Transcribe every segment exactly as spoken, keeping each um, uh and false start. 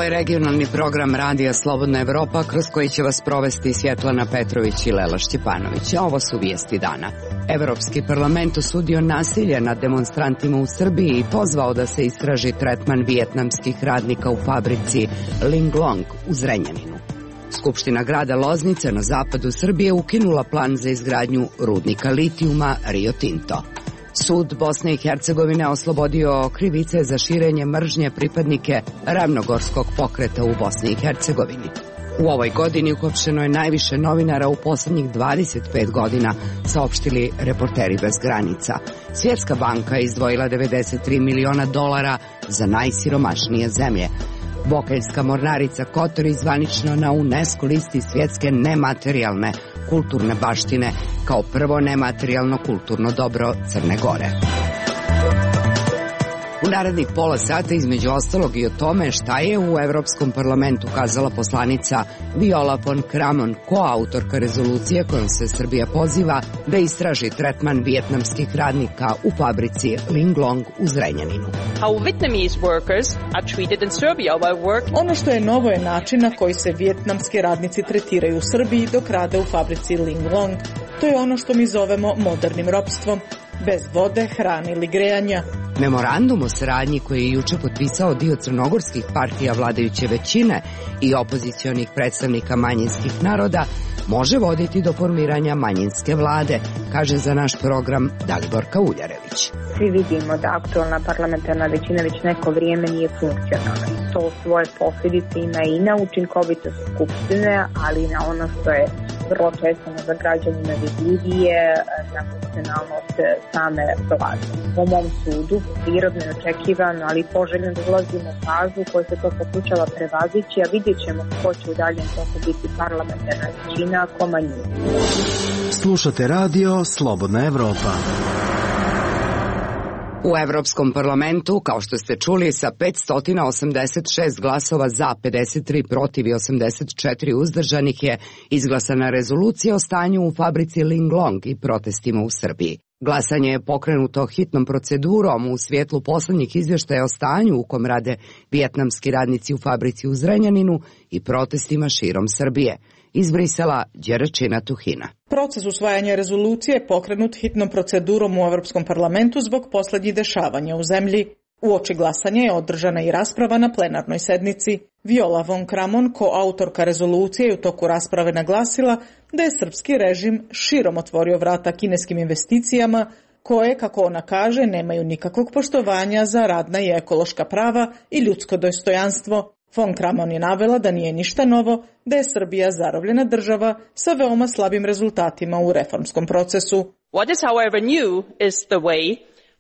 Ovo je regionalni program Radija Slobodna Evropa, kroz koji će vas provesti Svjetlana Petrović i Lela Šćepanović. A ovo su vijesti dana. Evropski parlament osudio nasilje nad demonstrantima u Srbiji i pozvao da se istraži tretman vijetnamskih radnika u fabrici Linglong u Zrenjaninu. Skupština grada Loznice na zapadu Srbije ukinula plan za izgradnju rudnika litijuma Rio Tinto. Sud Bosne i Hercegovine oslobodio krivice za širenje mržnje pripadnike Ravnogorskog pokreta u Bosni i Hercegovini. U ovoj godini uhapšeno je najviše novinara u poslednjih dvadeset pet godina, saopštili Reporteri bez granica. Svjetska banka je izdvojila devedeset tri miliona dolara za najsiromašnije zemlje. Bokeljska mornarica Kotor zvanično na UNESCO listi svjetske nematerijalne kulturne baštine kao prvo nematerijalno kulturno dobro Crne Gore. U narednih pola sata između ostalog i o tome šta je u Evropskom parlamentu kazala poslanica Viola von Kramon, koautorka rezolucije kojom se Srbija poziva da istraži tretman vijetnamskih radnika u fabrici Linglong u Zrenjaninu. Ono što je novo je način na koji se vijetnamski radnici tretiraju u Srbiji dok rade u fabrici Linglong. To je ono što mi zovemo modernim ropstvom, bez vode, hrane ili grejanja. Memorandum o saradnji koji je juče potpisao dio crnogorskih partija vladajuće većine i opozicionih predstavnika manjinskih naroda može voditi do formiranja manjinske vlade, kaže za naš program Daliborka Uljarević. Svi vidimo da aktualna parlamentarna većina već neko vrijeme nije funkcionalna. To svoje posljedice ima i na učinkovitost skupštine, ali i na ono što je vrlo često za građanima vidljivije, na funkcionalnost same vlade. Po mom sudu, prirodno je očekivano, ali poželjno da ulazimo u fazu koja se to pokušava prevazići, a vidjet ćemo ko će u daljem toku biti parlamentarna većina, ko manjina. Slušate radio Slobodna Evropa. U Evropskom parlamentu, kao što ste čuli, sa petsto osamdeset šest glasova za, pedeset tri protiv i osamdeset četiri uzdržanih je izglasana rezolucija o stanju u fabrici Linglong i protestima u Srbiji. Glasanje je pokrenuto hitnom procedurom u svjetlu poslednjih izvještaja o stanju u kom rade vijetnamski radnici u fabrici u Zrenjaninu i protestima širom Srbije. Iz Brisela, Đeračina Tuhina. Proces usvajanja rezolucije je pokrenut hitnom procedurom u Evropskom parlamentu zbog poslednjih dešavanja u zemlji. Uoči glasanja je održana i rasprava na plenarnoj sednici. Viola von Kramon, koautorka rezolucije, je u toku rasprave naglasila da je srpski režim širom otvorio vrata kineskim investicijama koje, kako ona kaže, nemaju nikakvog poštovanja za radna i ekološka prava i ljudsko dostojanstvo. Von Kramon je navela da nije ništa novo, da je Srbija zarobljena država sa veoma slabim rezultatima u reformskom procesu. What is however new is the way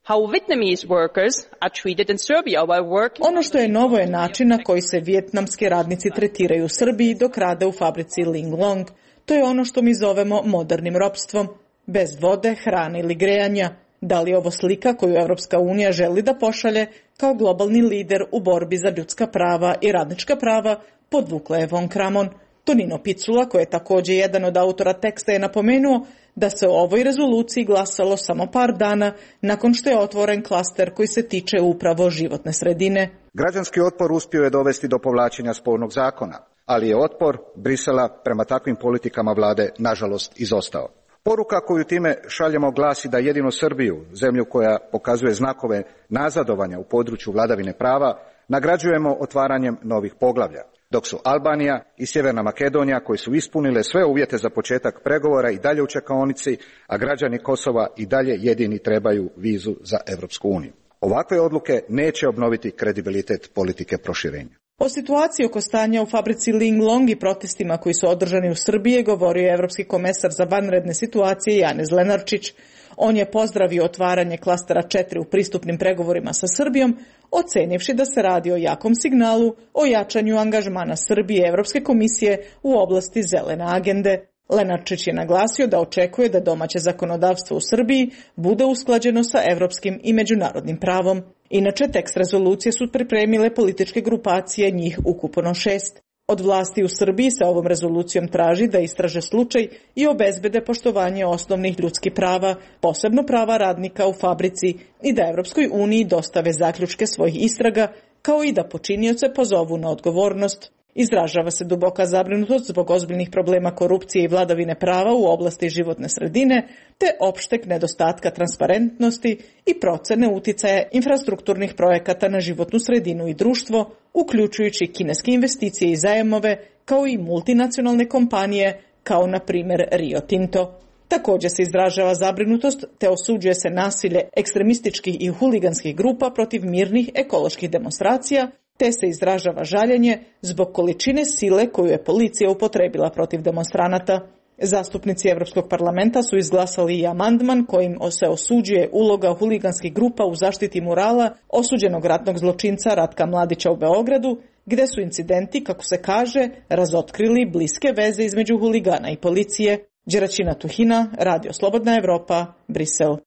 how Vietnamese workers are treated in Serbia while working. Ono što je novo je način na koji se vijetnamski radnici tretiraju u Srbiji dok rade u fabrici Linglong. To je ono što mi zovemo modernim ropstvom, bez vode, hrane ili grejanja. Da li je ovo slika koju Evropska unija želi da pošalje kao globalni lider u borbi za ljudska prava i radnička prava, podvukla je von Kramon. Tonino Picula, koji je također jedan od autora teksta, je napomenuo da se o ovoj rezoluciji glasalo samo par dana nakon što je otvoren klaster koji se tiče upravo životne sredine. Građanski otpor uspio je dovesti do povlačenja spornog zakona, ali je otpor Brisela prema takvim politikama vlade nažalost izostao. Poruka koju time šaljemo glasi da jedino Srbiju, zemlju koja pokazuje znakove nazadovanja u području vladavine prava, nagrađujemo otvaranjem novih poglavlja, dok su Albanija i Sjeverna Makedonija, koji su ispunile sve uvjete za početak pregovora, i dalje u čekaonici, a građani Kosova i dalje jedini trebaju vizu za Evropsku uniju. Ovakve odluke neće obnoviti kredibilitet politike proširenja. O situaciji oko stanja u fabrici Linglong i protestima koji su održani u Srbiji govorio je evropski komesar za vanredne situacije Janez Lenarčić. On je pozdravio otvaranje klastera četiri u pristupnim pregovorima sa Srbijom, ocenivši da se radi o jakom signalu o jačanju angažmana Srbije i Evropske komisije u oblasti zelene agende. Lenarčić je naglasio da očekuje da domaće zakonodavstvo u Srbiji bude usklađeno sa evropskim i međunarodnim pravom. Inače, tekst rezolucije su pripremile političke grupacije, njih ukupno šest. Od vlasti u Srbiji se ovom rezolucijom traži da istraže slučaj i obezbede poštovanje osnovnih ljudskih prava, posebno prava radnika u fabrici, i da Evropskoj uniji dostave zaključke svojih istraga kao i da počinioce pozovu na odgovornost. Izražava se duboka zabrinutost zbog ozbiljnih problema korupcije i vladavine prava u oblasti životne sredine, te opšteg nedostatka transparentnosti i procene uticaja infrastrukturnih projekata na životnu sredinu i društvo, uključujući kineske investicije i zajmove, kao i multinacionalne kompanije, kao na primjer Rio Tinto. Također se izražava zabrinutost te osuđuje se nasilje ekstremističkih i huliganskih grupa protiv mirnih ekoloških demonstracija, te se izražava žaljenje zbog količine sile koju je policija upotrebila protiv demonstranata. Zastupnici Evropskog parlamenta su izglasali i amandman kojim se osuđuje uloga huliganskih grupa u zaštiti murala osuđenog ratnog zločinca Ratka Mladića u Beogradu, gde su incidenti, kako se kaže, razotkrili bliske veze između huligana i policije. Đeraćina Tuhina, Radio Slobodna Evropa, Brisel.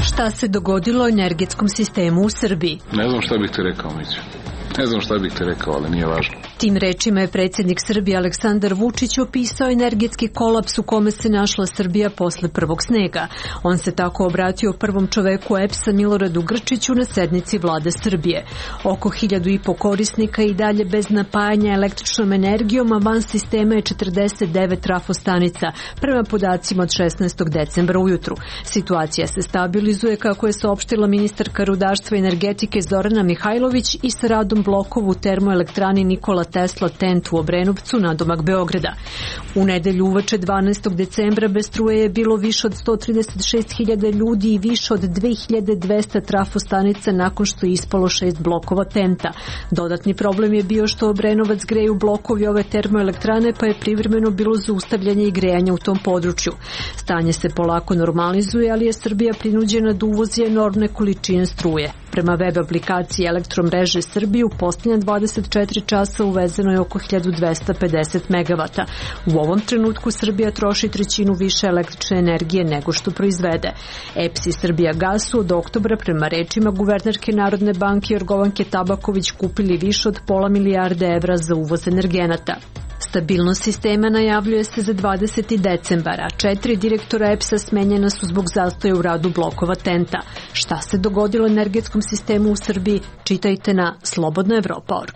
Šta se dogodilo energetskom sistemu u Srbiji? Ne znam šta bih ti rekao, Miću. Ne znam šta bih ti rekao, ali nije važno. Tim rečima je predsjednik Srbije Aleksandar Vučić opisao energetski kolaps u kome se našla Srbija posle prvog snega. On se tako obratio prvom čoveku E P S-a Miloradu Grčiću na sednici vlade Srbije. Oko hiljadu i po korisnika i dalje bez napajanja električnom energijom, a van sistema je četrdeset devet trafostanica, prema podacima od šesnaestog decembra ujutru. Situacija se stabilizuje, kako je saopštila ministarka rudarstva i energetike Zorana Mihajlović, i sa radom blokova u termoelektrani Nikola Tesla Tent u Obrenovcu, nadomak Beograda. U nedelju uveče dvanaestog decembra bez struje je bilo više od sto trideset šest hiljada ljudi i više od dve hiljade dvesta trafostanica nakon što je ispalo šest blokova Tenta. Dodatni problem je bio što Obrenovac greju blokovi ove termoelektrane, pa je privremeno bilo zaustavljanje i grejanja u tom području. Stanje se polako normalizuje, ali je Srbija prinuđena da uvozi enormne količine struje. Prema web aplikaciji Elektromreže Srbije u posljednja dvadeset četiri časa uvezeno je oko hiljadu dvesta pedeset megavata. U ovom trenutku Srbija troši trećinu više električne energije nego što proizvede. E P S i Srbija Gas su od oktobra, prema rečima guvernerke Narodne banke Jorgovanke Tabaković, kupili više od pola milijarde evra za uvoz energenata. Stabilnost sistema najavljuje se za dvadeseti decembar, a četiri direktora E P S-a smenjena su zbog zastoja u radu blokova Tenta. Šta se dogodilo energetskom sistemu u Srbiji? Čitajte na slobodna evropa tačka org.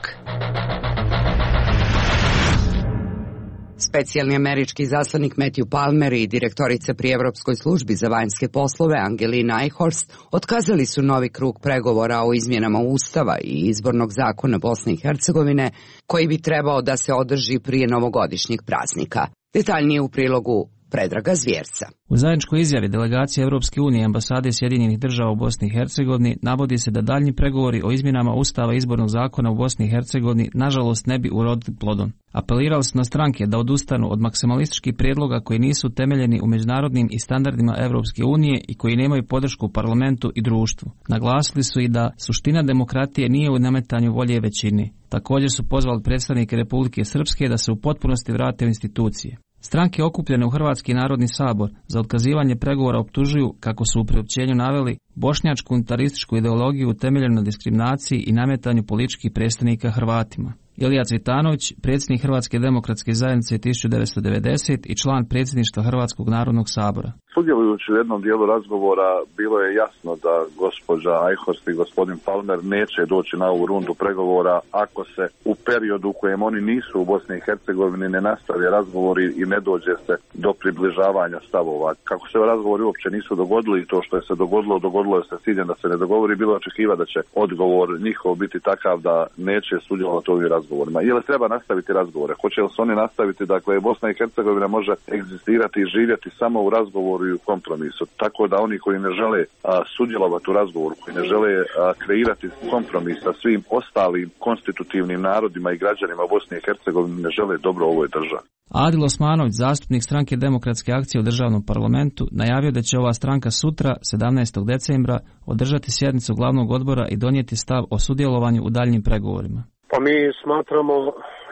Specijalni američki zaslanik Matthew Palmer i direktorica pri Evropskoj službi za vanjske poslove Angelina Eichhorst otkazali su novi krug pregovora o izmjenama Ustava i izbornog zakona Bosne i Hercegovine, koji bi trebao da se održi prije novogodišnjeg praznika. Detaljnije u prilogu Predraga Zvjerca. U zajedničkoj izjavi delegacije Evropske unije i ambasade Sjedinjenih država u Bosni i Hercegovini navodi se da daljnji pregovori o izmjenama Ustava i izbornog zakona u Bosni i Hercegovini nažalost ne bi urodili plodom. Apelirali su na stranke da odustanu od maksimalističkih prijedloga koji nisu temeljeni u međunarodnim i standardima Evropske unije i koji nemaju podršku u parlamentu i društvu. Naglasili su i da suština demokratije nije u nametanju volje većini. Također su pozvali predstavnike Republike Srpske da se u potpunosti vrate u institucije. Stranke okupljene u Hrvatski narodni sabor za otkazivanje pregovora optužuju, kako su u priopćenju naveli, bošnjačku unitarističku ideologiju utemeljenu na diskriminaciji i nametanju političkih predstavnika Hrvatima. Ilija Cvitanović, predsjednik Hrvatske demokratske zajednice tisuću devetsto devedeset i član predsjedništva Hrvatskog narodnog sabora. Sudjelujući u jednom dijelu razgovora bilo je jasno da gospođa Eichhorst i gospodin Palmer neće doći na ovu rundu pregovora ako se u periodu u kojem oni nisu u Bosni i Hercegovini ne nastave razgovori i ne dođe se do približavanja stavova. Kako se razgovori uopće nisu dogodili i to što je se dogodilo, dogodilo je se s ciljem da se ne dogovori, bilo očekiva da će odgovor njihov biti takav da neće sudjelovati u ovim razgovorima. Je li treba nastaviti razgovore? Hoće li se oni nastaviti? Dakle, Bosna i Hercegovina može egzistirati i živjeti samo u razgovoru i u kompromisu. Tako da oni koji ne žele a, sudjelovati u razgovoru, koji ne žele a, kreirati kompromis sa svim ostalim konstitutivnim narodima i građanima Bosne i Hercegovine, ne žele dobro ovoj državi. Adil Osmanović, zastupnik stranke Demokratske akcije u državnom parlamentu, najavio da će ova stranka sutra, sedamnaestog decembra, održati sjednicu glavnog odbora i donijeti stav o sudjelovanju u daljnjim pregovorima. Pa mi smatramo,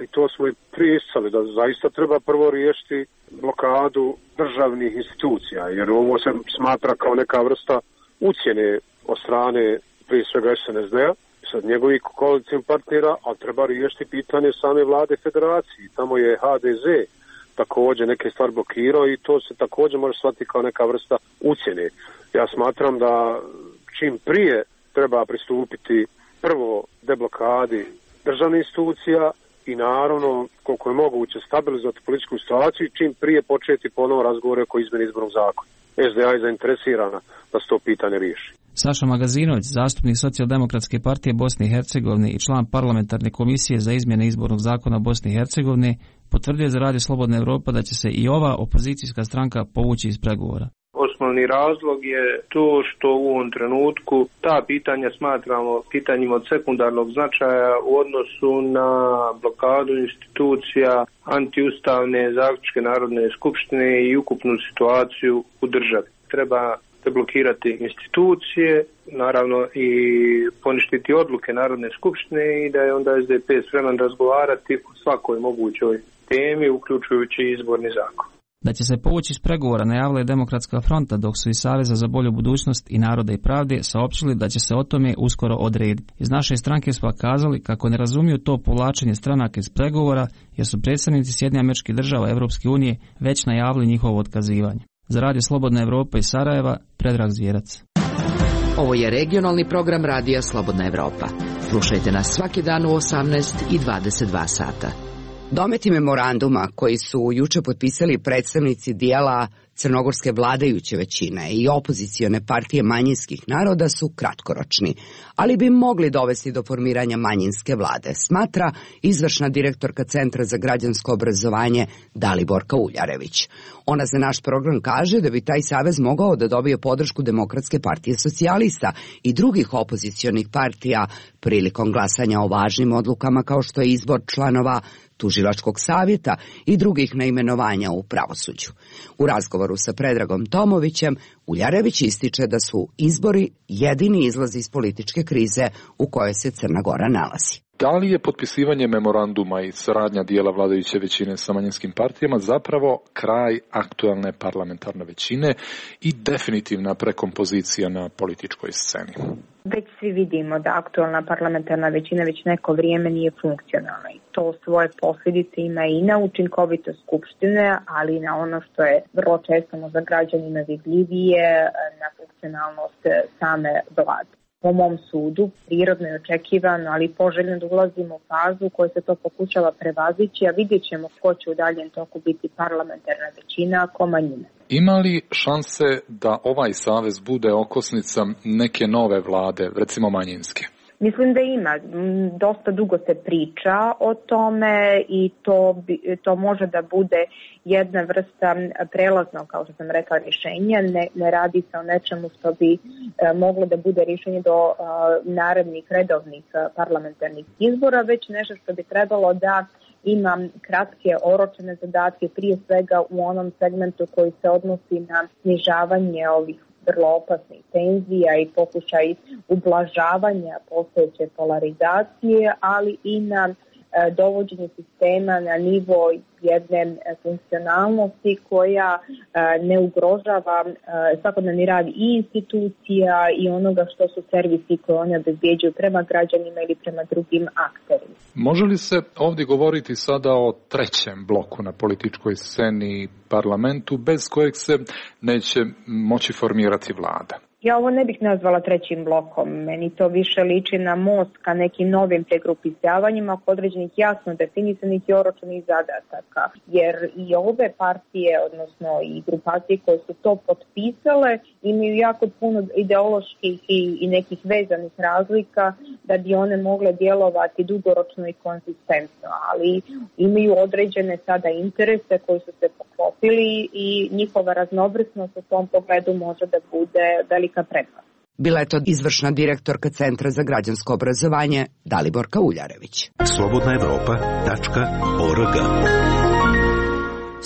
i to smo i pristali, da zaista treba prvo riješiti blokadu državnih institucija, jer ovo se smatra kao neka vrsta ucjene od strane prije svega S N S D-a, sad njegovih koalicijskih partnera, ali treba riješiti pitanje same vlade federacije. Tamo je H D Z također neke stvari blokirao i to se također može shvatiti kao neka vrsta ucjene. Ja smatram da čim prije treba pristupiti prvo deblokadi državnih institucija i naravno koliko je moguće stabilizovati političku situaciju i čim prije početi ponovo razgovore oko izmjene izbornog zakona. S D A je zainteresirana da se to pitanje riješi. Saša Magazinović, zastupnik Socijaldemokratske partije Bosne i Hercegovine i član parlamentarne komisije za izmjene izbornog zakona Bosne i Hercegovine, potvrdio za Radio Slobodna Evropa da će se i ova opozicijska stranka povući iz pregovora. Osnovni razlog je to što u ovom trenutku ta pitanja smatramo pitanjima od sekundarnog značaja u odnosu na blokadu institucija, antiustavne zaključke Narodne skupštine i ukupnu situaciju u državi. Treba deblokirati institucije, naravno i poništiti odluke Narodne skupštine i da je onda S D P spreman razgovarati o svakoj mogućoj temi, uključujući izborni zakon. Da će se povući iz pregovora najavila je Demokratska fronta, dok su iz Saveza za bolju budućnost i Naroda i pravde saopštili da će se o tome uskoro odrediti. Iz naše stranke su kazali kako ne razumiju to povlačenje stranaka iz pregovora, jer su predstavnici Sjedinjenih Američkih Država Evropske unije već najavili njihovo otkazivanje. Za Radio Slobodna Evropa iz Sarajeva, Predrag Zvjerac. Ovo je regionalni program Radija Slobodna Evropa. Slušajte nas svaki dan u osamnaest i dvadeset dva sata. Dometi memoranduma koji su juče potpisali predstavnici dijela crnogorske vladajuće većine i opozicione partije manjinskih naroda su kratkoročni, ali bi mogli dovesti do formiranja manjinske vlade, smatra izvršna direktorka Centra za građansko obrazovanje Daliborka Uljarević. Ona za naš program kaže da bi taj savez mogao da dobije podršku Demokratske partije socijalista i drugih opozicionih partija prilikom glasanja o važnim odlukama kao što je izbor članova Tužilačkog savjeta i drugih naimenovanja u pravosuđu. U razgovoru sa Predragom Tomovićem, Uljarević ističe da su izbori jedini izlaz iz političke krize u kojoj se Crna Gora nalazi. Da li je potpisivanje memoranduma i saradnja dijela vladajuće većine sa manjinskim partijama zapravo kraj aktualne parlamentarne većine i definitivna prekompozicija na političkoj sceni? Već svi vidimo da aktualna parlamentarna većina već neko vrijeme nije funkcionalna i to svoje posljedice ima i na učinkovitost skupštine, ali i na ono što je vrlo često možda građanima vidljivije, na funkcionalnost same vlade. Po mom sudu, prirodno je očekivano, ali poželjno da ulazimo u fazu u kojoj se to pokušava prevazići, a vidjet ćemo ko će u daljem toku biti parlamentarna većina, a ko manjina. Ima li šanse da ovaj savez bude okosnica neke nove vlade, recimo manjinske? Mislim da ima. Dosta dugo se priča o tome i to, bi, to može da bude jedna vrsta prelaznog, kao što sam rekla, rješenja. Ne, ne radi se o nečemu što bi e, moglo da bude rješenje do e, narednih redovnih parlamentarnih izbora, već nešto što bi trebalo da ima kratke oročene zadatke, prije svega u onom segmentu koji se odnosi na snižavanje ovih vrlo opasnih tenzija i pokušaj ublažavanja postojeće polarizacije, ali i na e, dovođenje sistema na nivo jedne funkcionalnosti koja e, ne ugrožava e, svakodnevni rad i institucija i onoga što su servisi koje one obezbjeđuju prema građanima ili prema drugim akterima. Može li se ovdje govoriti sada o trećem bloku na političkoj sceni parlamentu bez kojeg se neće moći formirati vlada? Ja ovo ne bih nazvala trećim blokom. Meni to više liči na most ka nekim novim pregrupisavanjima kod određenih jasno definisanih i oročenih zadataka. Jer i ove partije, odnosno i grupacije koje su to potpisale, imaju jako puno ideoloških i, i nekih vezanih razlika da bi one mogle djelovati dugoročno i konzistentno. Ali imaju određene sada interese koji su se poklopili i njihova raznovrsnost u tom pogledu može da bude velika prednost. Bila je to izvršna direktorka Centra za građansko obrazovanje Daliborka Uljarević. slobodna evropa tačka org.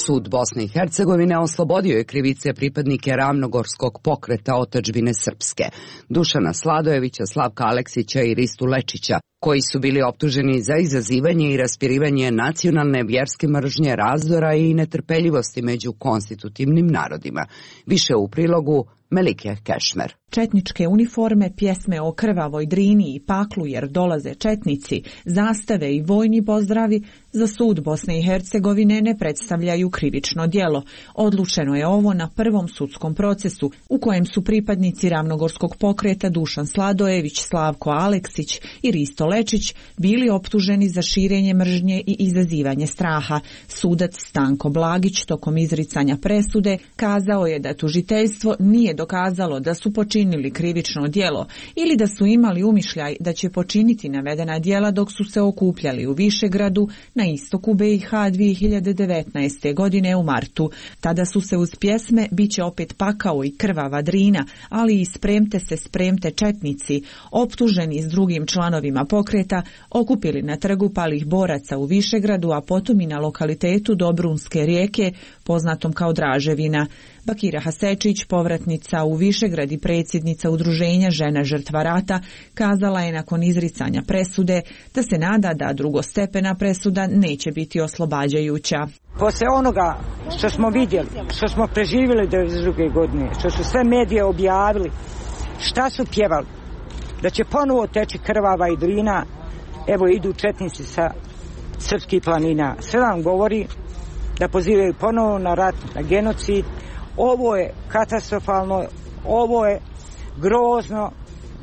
Sud Bosne i Hercegovine oslobodio je krivice pripadnike Ravnogorskog pokreta otadžbine srpske, Dušana Sladojevića, Slavka Aleksića i Ristu Lečića, koji su bili optuženi za izazivanje i raspirivanje nacionalne vjerske mržnje, razdora i netrpeljivosti među konstitutivnim narodima. Više u prilogu Melike Kešmer. Četničke uniforme, pjesme o krvavoj Drini i paklu jer dolaze četnici, zastave i vojni pozdravi za sud Bosne i Hercegovine ne predstavljaju krivično djelo. Odlučeno je ovo na prvom sudskom procesu u kojem su pripadnici Ravnogorskog pokreta Dušan Sladojević, Slavko Aleksić i Risto Lečić bili optuženi za širenje mržnje i izazivanje straha. Sudac Stanko Blagić tokom izricanja presude kazao je da tužiteljstvo nije dokazalo da su počinili krivično djelo ili da su imali umišljaj da će počiniti navedena djela dok su se okupljali u Višegradu na istoku B i H dvije hiljade devetnaeste. godine u martu. Tada su se uz pjesme Biće opet pakao i krvava Drina, ali i Spremte se, spremte četnici, optuženi s drugim članovima pokreta, okupili na trgu palih boraca u Višegradu, a potom i na lokalitetu Dobrunske rijeke, poznatom kao Draževina. Bakira Hasečić, povratnica u Višegrad i predsjednica udruženja Žena žrtva rata, kazala je nakon izricanja presude da se nada da drugostepena presuda neće biti oslobađajuća. Posle onoga što smo vidjeli, što smo preživjeli devedeset druge. godine, što su sve medije objavili, šta su pjevali, da će ponovo teći krvava i Drina, evo idu četnici sa srpskih planina. Sve vam govori da pozivaju ponovo na rat, na genocid. Ovo je katastrofalno, ovo je grozno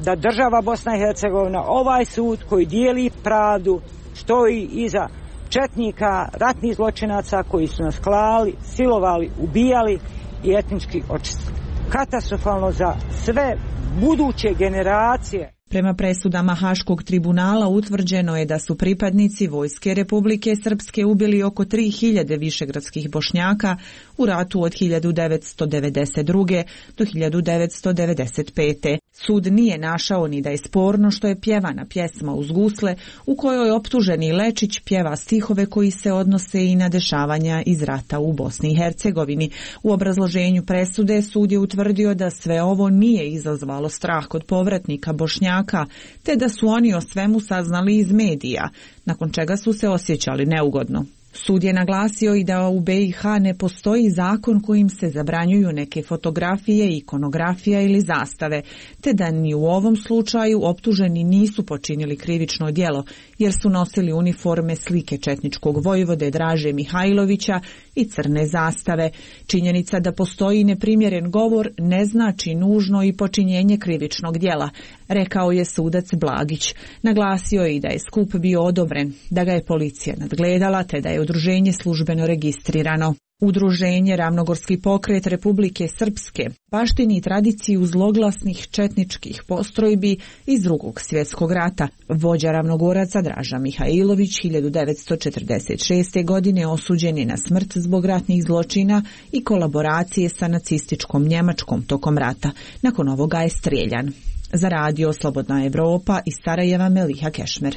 da država Bosna i Hercegovina, ovaj sud koji dijeli pravdu, stoji iza četnika, ratnih zločinaca koji su nas klali, silovali, ubijali i etnički očistili. Katastrofalno za sve buduće generacije. Prema presudama Haškog tribunala utvrđeno je da su pripadnici Vojske Republike Srpske ubili oko tri hiljade višegradskih Bošnjaka u ratu od hiljadu devetsto devedeset druge. do hiljadu devetsto devedeset pete. Sud nije našao ni da je sporno što je pjevana pjesma uz gusle u kojoj optuženi Lečić pjeva stihove koji se odnose i na dešavanja iz rata u Bosni i Hercegovini. U obrazloženju presude sud je utvrdio da sve ovo nije izazvalo strah kod povratnika Bošnjaka, te da su oni o svemu saznali iz medija, nakon čega su se osjećali neugodno. Sud je naglasio i da u B i H ne postoji zakon kojim se zabranjuju neke fotografije, ikonografija ili zastave, te da ni u ovom slučaju optuženi nisu počinili krivično djelo, jer su nosili uniforme slike četničkog vojvode Draže Mihajlovića i crne zastave. Činjenica da postoji neprimjeren govor ne znači nužno i počinjenje krivičnog djela, rekao je sudac Blagić. Naglasio je i da je skup bio odobren, da ga je policija nadgledala, te da je udruženje službeno registrirano. Udruženje Ravnogorski pokret Republike Srpske baštini tradiciju zloglasnih četničkih postrojbi iz Drugog svjetskog rata. Vođa Ravnogoraca Draža Mihajlović hiljadu devetsto četrdeset šeste. godine osuđen je na smrt zbog ratnih zločina i kolaboracije sa nacističkom Njemačkom tokom rata. Nakon ovoga je strijeljan. Za radio Slobodna Evropa iz Sarajeva Meliha Kešmer.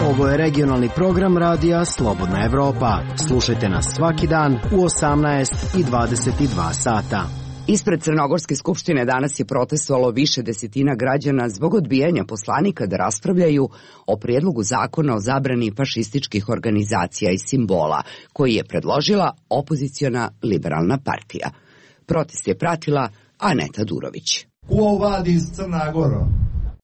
Ovo je regionalni program radija Slobodna Evropa. Slušajte nas svaki dan u osamnaest i dvadeset dva sata. Ispred Crnogorske skupštine danas je protestovalo više desetina građana zbog odbijanja poslanika da raspravljaju o prijedlogu zakona o zabrani fašističkih organizacija i simbola, koji je predložila opoziciona Liberalna partija. Protest je pratila Aneta Durović. Ko vadi iz Crna Gora?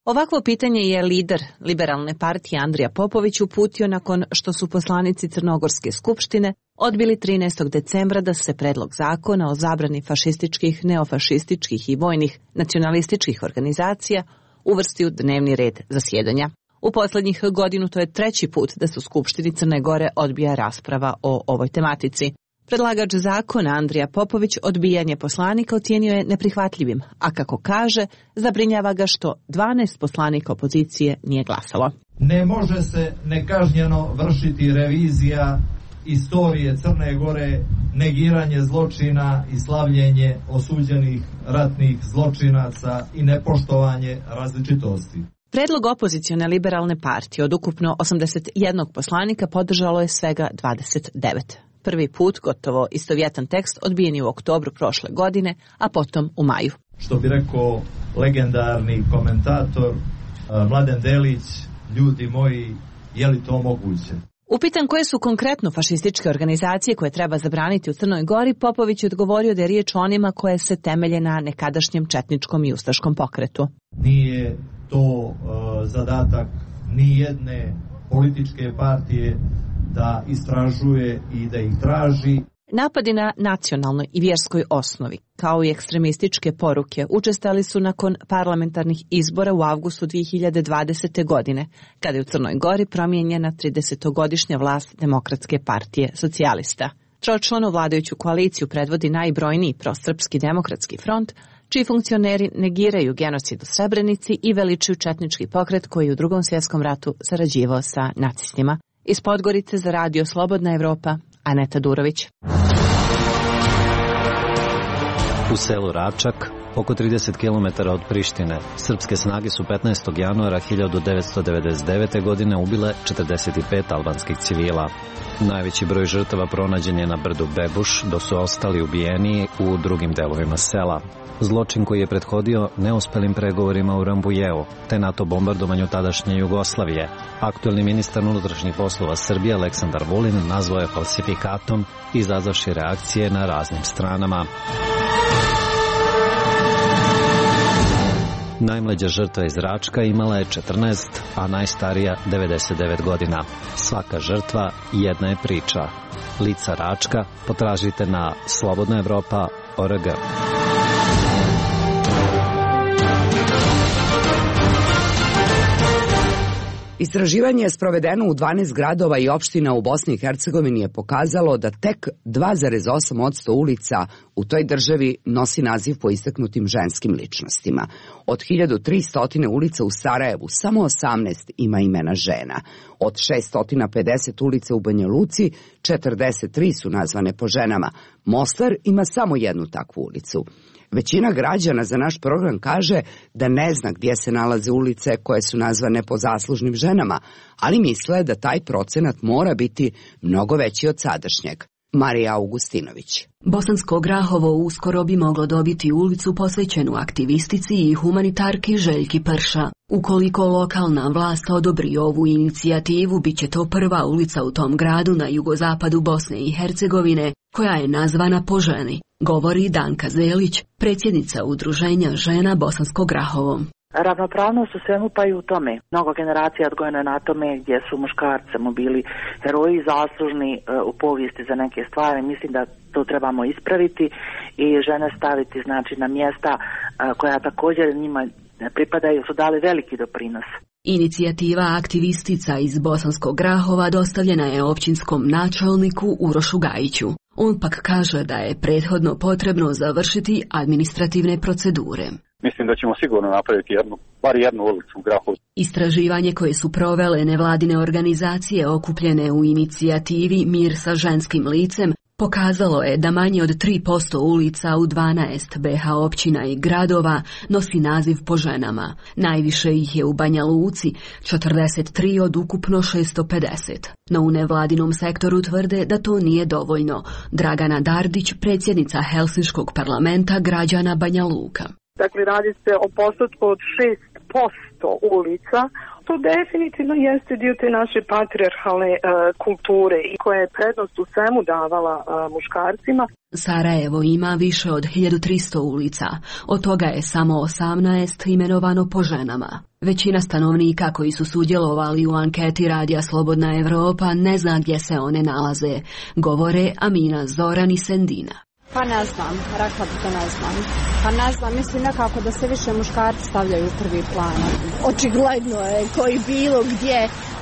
Ovakvo pitanje je lider Liberalne partije Andrija Popović uputio nakon što su poslanici Crnogorske skupštine odbili trinaestog decembra da se predlog zakona o zabrani fašističkih, neofašističkih i vojnih nacionalističkih organizacija uvrsti u dnevni red zasjedanja. U posljednjih godinu to je treći put da se u Skupštini Crne Gore odbija rasprava o ovoj tematici. Predlagač zakona Andrija Popović odbijanje poslanika ocijenio je neprihvatljivim, a kako kaže, zabrinjava ga što dvanaest poslanika opozicije nije glasalo. Ne može se nekažnjeno vršiti revizija istorije Crne Gore, negiranje zločina i slavljenje osuđenih ratnih zločinaca i nepoštovanje različitosti. Predlog opozicione Liberalne partije od ukupno osamdeset jednog poslanika podržalo je svega dvadeset devet. Prvi put gotovo istovjetan tekst odbijen je u oktobru prošle godine, a potom u maju. Što bi rekao legendarni komentator Mladen Delić, ljudi moji, je li to moguće? Upitan koje su konkretno fašističke organizacije koje treba zabraniti u Crnoj Gori, Popović je odgovorio da je riječ o onima koje se temelje na nekadašnjem četničkom i ustaškom pokretu. Nije to uh, zadatak ni jedne političke partije da istražuje i da ih traži. Napadi na nacionalnoj i vjerskoj osnovi, kao i ekstremističke poruke, učestali su nakon parlamentarnih izbora u avgustu dvije hiljade dvadesete. godine, kada je u Crnoj Gori promijenjena tridesetogodišnja vlast Demokratske partije socijalista. Tročlanu vladajuću koaliciju predvodi najbrojniji prosrpski demokratski front, čiji funkcioneri negiraju genocid u Srebrenici i veličuju četnički pokret koji je u Drugom svjetskom ratu sarađivao sa nacistima. Iz Podgorice za radio Slobodna Evropa, Aneta Durović. U selu Račak, oko trideset kilometara od Prištine, srpske snage su petnaestog januara hiljadu devetsto devedeset devete. godine ubile četrdeset pet albanskih civila. Najveći broj žrtava pronađen je na brdu Bebuš, dok su ostali ubijeni u drugim delovima sela. Zločin koji je prethodio neuspelim pregovorima u Rambujeu, te NATO bombardovanju tadašnje Jugoslavije. Aktuelni ministar unutrašnjih poslova Srbije Aleksandar Vulin nazvao je falsifikatom, izazavši reakcije na raznim stranama. Najmlađa žrtva iz Račka imala je četrnaest, a najstarija devedeset devet godina. Svaka žrtva jedna je priča. Lica Račka potražite na slobodna evropa tačka org. Istraživanje je sprovedeno u dvanaest gradova i opština u Bosni i Hercegovini je pokazalo da tek dva zarez osam posto ulica u toj državi nosi naziv po istaknutim ženskim ličnostima. Od hiljadu tristo ulica u Sarajevu samo osamnaest ima imena žena. Od šesto pedeset ulica u Banja Luci, četrdeset tri su nazvane po ženama. Mostar ima samo jednu takvu ulicu. Većina građana za naš program kaže da ne zna gdje se nalaze ulice koje su nazvane po zaslužnim ženama, ali misle da taj procenat mora biti mnogo veći od sadašnjeg. Marija Augustinović. Bosansko Grahovo uskoro bi moglo dobiti ulicu posvećenu aktivistici i humanitarki Željki Prša. Ukoliko lokalna vlast odobri ovu inicijativu, bit će to prva ulica u tom gradu na jugozapadu Bosne i Hercegovine, koja je nazvana po ženi, govori Danka Zelić, predsjednica Udruženja žena Bosansko Grahovo. Ravnopravnost u svemu pa i u tome. Mnogo generacija odgojeno je na tome gdje su muškarci mu bili heroji zaslužni u povijesti za neke stvari. Mislim da to trebamo ispraviti i žene staviti znači na mjesta koja također njima pripadaju, su dali veliki doprinos. Inicijativa aktivistica iz Bosanskog Grahova dostavljena je općinskom načelniku Urošu Gajiću. On pak kaže da je prethodno potrebno završiti administrativne procedure. Mislim da ćemo sigurno napraviti jednu, bar jednu ulicu u Grahovu. Istraživanje koje su provele nevladine organizacije okupljene u inicijativi Mir sa ženskim licem pokazalo je da manje od tri posto ulica u dvanaest be ha općina i gradova nosi naziv po ženama. Najviše ih je u Banja Luci, četrdeset tri od ukupno šesto pedeset. No u nevladinom sektoru tvrde da to nije dovoljno. Dragana Dardić, predsjednica Helsinškog parlamenta građana Banja Luka. Dakle, radi se o postotku od šest posto ulica. To definitivno jeste dio te naše patrijarhalne uh, kulture i koja je prednost u svemu davala uh, muškarcima. Sarajevo ima više od hiljadu tristo ulica, od toga je samo osamnaest imenovano po ženama. Većina stanovnika koji su sudjelovali u anketi radija Slobodna Evropa ne zna gdje se one nalaze, govore Amina, Zoran i Sendina. Pa ne znam, rekla bi da ne znam. Pa ne znam, mislim nekako da se više muškarci stavljaju u prvi plan. Očigledno je koji bilo gdje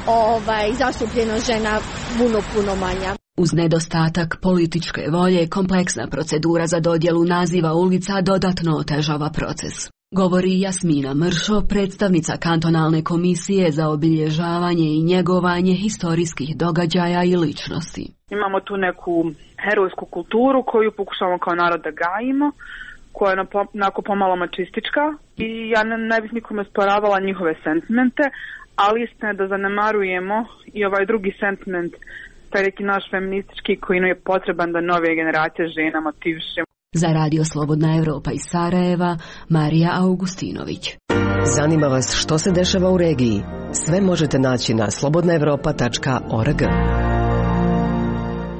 ovaj, zastupljeno žena puno, puno manja. Uz nedostatak političke volje, kompleksna procedura za dodjelu naziva ulica dodatno otežava proces. Govori Jasmina Mršo, predstavnica kantonalne komisije za obilježavanje i njegovanje historijskih događaja i ličnosti. Imamo tu neku herojsku kulturu koju pokušavamo kao narod da gajimo, koja je onako pomalo mačistička i ja ne, ne bih nikome sporavala njihove sentimente, ali istina je da zanemarujemo i ovaj drugi sentiment, taj neki naš feministički koji nam je potreban da nove generacije žena motivišemo. Za Radio Slobodna Evropa iz Sarajeva, Marija Augustinović. Zanima vas što se dešava u regiji? Sve možete naći na slobodna evropa tačka org.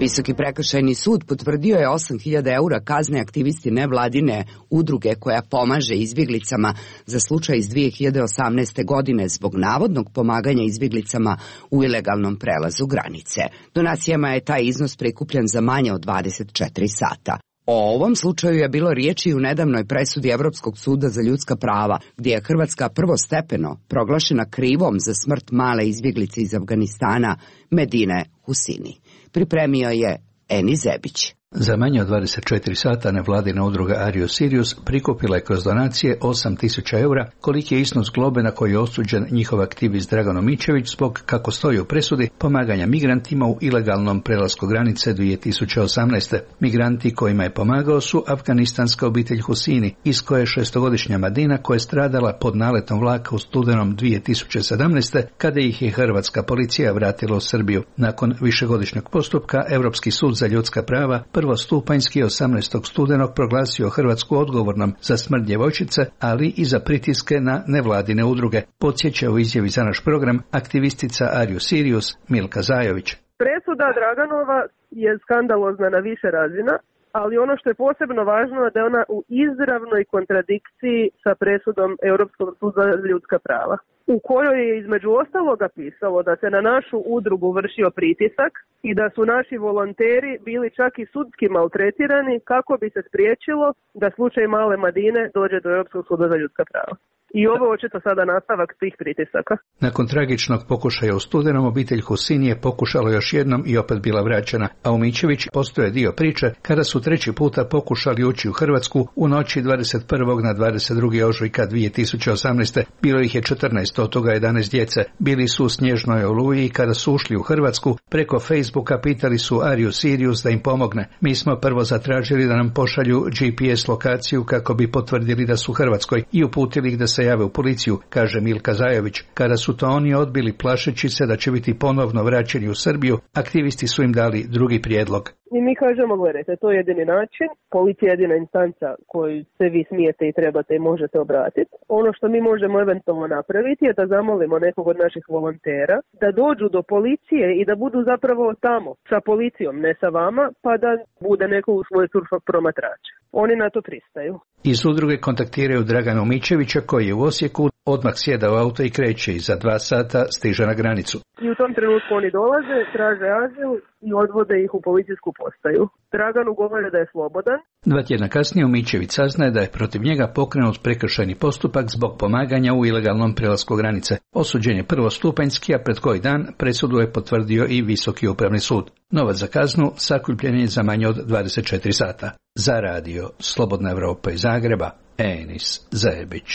Visoki prekršajni sud potvrdio je osam hiljada eura kazne aktivisti nevladine udruge koja pomaže izbjeglicama za slučaj iz dvije hiljade osamnaeste. godine zbog navodnog pomaganja izbjeglicama u ilegalnom prelazu granice. Donacijama je taj iznos prikupljen za manje od dvadeset četiri sata. O ovom slučaju je bilo riječi u nedavnoj presudi Evropskog suda za ljudska prava, gdje je Hrvatska prvostepeno proglašena krivom za smrt male izbjeglice iz Afganistana Medine Husini. Pripremio je Eni Zebić. Za manje od dvadeset četiri sata nevladina udruga Ario Sirius prikupila je kroz donacije osam tisuća eura, koliki je iznos globe na koji je osuđen njihov aktivist Dragan Omičević zbog, kako stoji u presudi, pomaganja migrantima u ilegalnom prelasku granice dvije tisuće osamnaeste. Migranti kojima je pomagao su afganistanska obitelj Husini, iz koje je šestogodišnja Madina koja je stradala pod naletom vlaka u studenom dvije tisuće sedamnaeste. kada ih je hrvatska policija vratila u Srbiju. Nakon višegodišnjeg postupka, Europski sud za ljudska prava prvostupanjski osamnaestog studenog proglasio Hrvatsku odgovornom za smrt djevojčice, ali i za pritiske na nevladine udruge. Podsjeća u izjavi za naš program aktivistica Ario Sirius Milka Zajović. Presuda Draganova je skandalozna na više razina, ali ono što je posebno važno je da je ona u izravnoj kontradikciji sa presudom Europskog suda za ljudska prava, u kojoj je između ostaloga pisalo da se na našu udrugu vršio pritisak i da su naši volonteri bili čak i sudski maltretirani kako bi se spriječilo da slučaj male Madine dođe do Europskog suda za ljudska prava. I ovo je očito sada nastavak tih pritisaka. Nakon tragičnog pokušaja u studenom, obitelj Husini je pokušala još jednom i opet bila vraćena, a Omičević postoje dio priče kada su treći puta pokušali ući u Hrvatsku u noći dvadeset prvog na dvadeset drugi ožujka dvije tisuće osamnaeste. Bilo ih je četrnaest, od toga jedanaest djece. Bili su u snježnoj oluji i kada su ušli u Hrvatsku, preko Facebooka pitali su Ario Sirius da im pomogne. Mi smo prvo zatražili da nam pošalju G P S lokaciju kako bi potvrdili da su u Hrvatskoj i uputili ih da se jave u policiju, kaže Milka Zajović. Kada su to oni odbili plašeći se da će biti ponovno vraćeni u Srbiju, aktivisti su im dali drugi prijedlog. I mi kažemo, gledajte, to je jedini način, policija je jedina instanca koju se vi smijete i trebate i možete obratiti. Ono što mi možemo eventualno napraviti je da zamolimo nekog od naših volontera da dođu do policije i da budu zapravo tamo sa policijom, ne sa vama, pa da bude neko u svoj surfa promatrača. Oni na to pristaju. Iz udruge kontaktiraju Dragana Omičevića koji je u Osijeku, odmah sjeda u auto i kreće i za dva sata stiže na granicu. I u tom trenutku oni dolaze, traže azil i odvode ih u policijsku postaju. Draganu govore da je slobodan. Dva tjedna kasnije Omičević saznaje da je protiv njega pokrenut prekršajni postupak zbog pomaganja u ilegalnom prelasku granice. Osuđen je prvostupanjski, a pred koji dan presudu je potvrdio i Visoki upravni sud. Novac za kaznu sakupljen je za manje od dvadeset četiri sata. Za radio Slobodna Evropa iz Zagreba, Enis Zebić.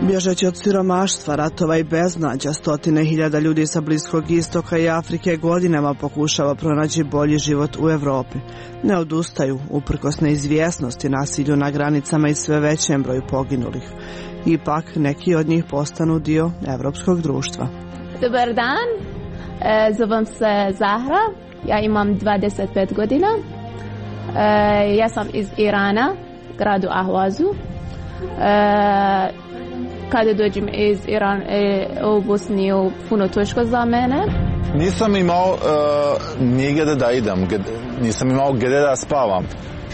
Bježeći od siromaštva, ratova i beznađa, stotine hiljada ljudi sa Bliskog istoka i Afrike godinama pokušava pronaći bolji život u Europi. Ne odustaju, uprkos neizvjesnosti, nasilju na granicama i sve većem broju poginulih. Ipak, neki od njih postanu dio evropskog društva. Dobar dan, e, zovem se Zahra, ja imam dvadeset pet godina. E, ja sam iz Irana, gradu Ahvazu. E, Kada dođem iz Irana u Bosniju, puno teško za mene. Nisam imao uh, nigdje da idem, nisam imao gdje da spavam.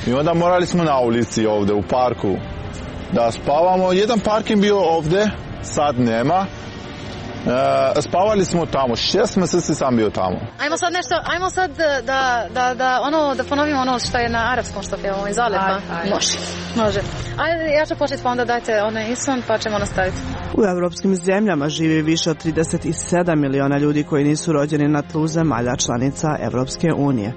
I onda morali smo na ulici ovdje, u parku, da spavamo. Jedan parking bio ovdje, sad nema. Uh, spavali smo tamo, šest mjeseci sam bio tamo. Ajmo sad nešto, ajmo sad da, da, da, ono, da ponovimo ono što je na arapskom što pjevamo iz Alepa. Može, može. Ajde, ja ću početi pa onda dajte onaj isun pa ćemo nastaviti. U evropskim zemljama živi više od trideset sedam miliona ljudi koji nisu rođeni na tlu zemalja članica Evropske unije.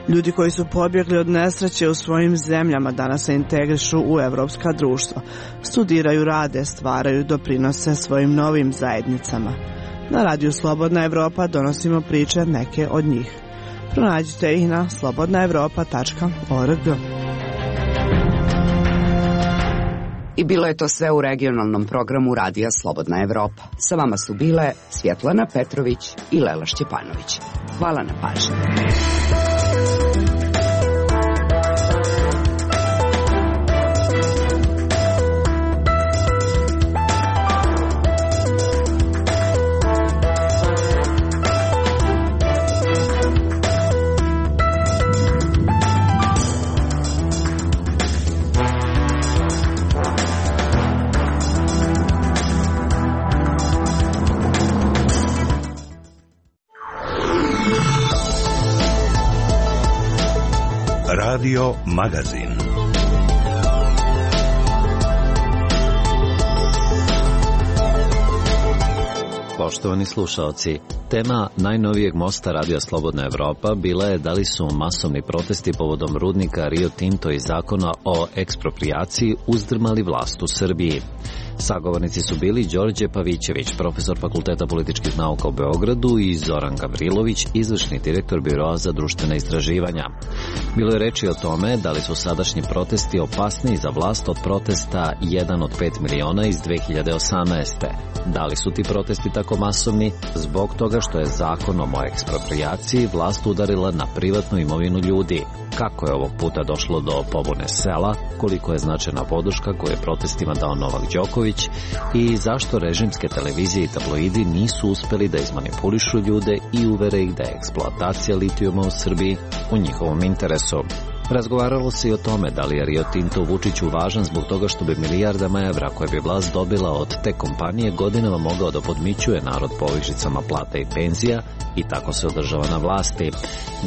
Ljudi koji su pobjegli od nesreće u svojim zemljama danas se integrišu u evropska društva. Studiraju, rade, stvaraju, doprinose svojim novim zajednicama. Na radiju Slobodna Evropa donosimo priče neke od njih. Pronađite ih na slobodna evropa tačka org. I bilo je to sve u regionalnom programu Radija Slobodna Evropa. Sa vama su bile Svjetlana Petrović i Lela Šćepanović. Hvala na pažnji. Radio Magazin. Poštovani slušaoci, tema najnovijeg mosta Radija Slobodna Evropa bila je da li su masovni protesti povodom rudnika Rio Tinto i zakona o eksproprijaciji uzdrmali vlast u Srbiji. Sagovornici su bili Đorđe Pavićević, profesor Fakulteta političkih nauka u Beogradu, i Zoran Gavrilović, izvršni direktor Biroa za društvena istraživanja. Bilo je reči o tome da li su sadašnji protesti opasniji za vlast od protesta jedan od pet miliona iz dve hiljade osamnaeste. Da li su ti protesti tako masovni? Zbog toga što je zakonom o eksproprijaciji vlast udarila na privatnu imovinu ljudi. Kako je ovog puta došlo do pobune sela, koliko je značajna podrška koju je protestima dao Novak Đoković i zašto režimske televizije i tabloidi nisu uspeli da izmanipulišu ljude i uvere ih da je eksploatacija litijuma u Srbiji u njihovom interesu. Razgovaralo se i o tome da li je Rio Tinto Vučiću važan zbog toga što bi milijardama evra koje bi vlast dobila od te kompanije godinama mogao da podmićuje narod povišicama plata i penzija i tako se održava na vlasti.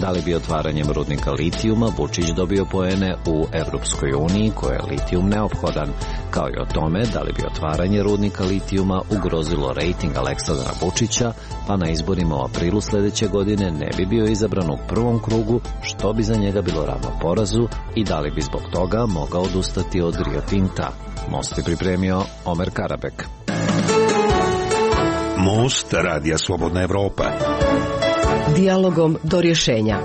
Da li bi otvaranjem rudnika litijuma Vučić dobio poene u Evropskoj uniji koje je litijum neophodan, kao i o tome da li bi otvaranje rudnika litijuma ugrozilo rejting Aleksandra Vučića, pa na izborima u aprilu sledeće godine ne bi bio izabran u prvom krugu, što bi za njega bilo ravno porazu, i da li bi zbog toga mogao odustati od Rio Tinta. Most je pripremio Omer Karabek. Most Radija Slobodna Evropa. Dijalogom do rješenja.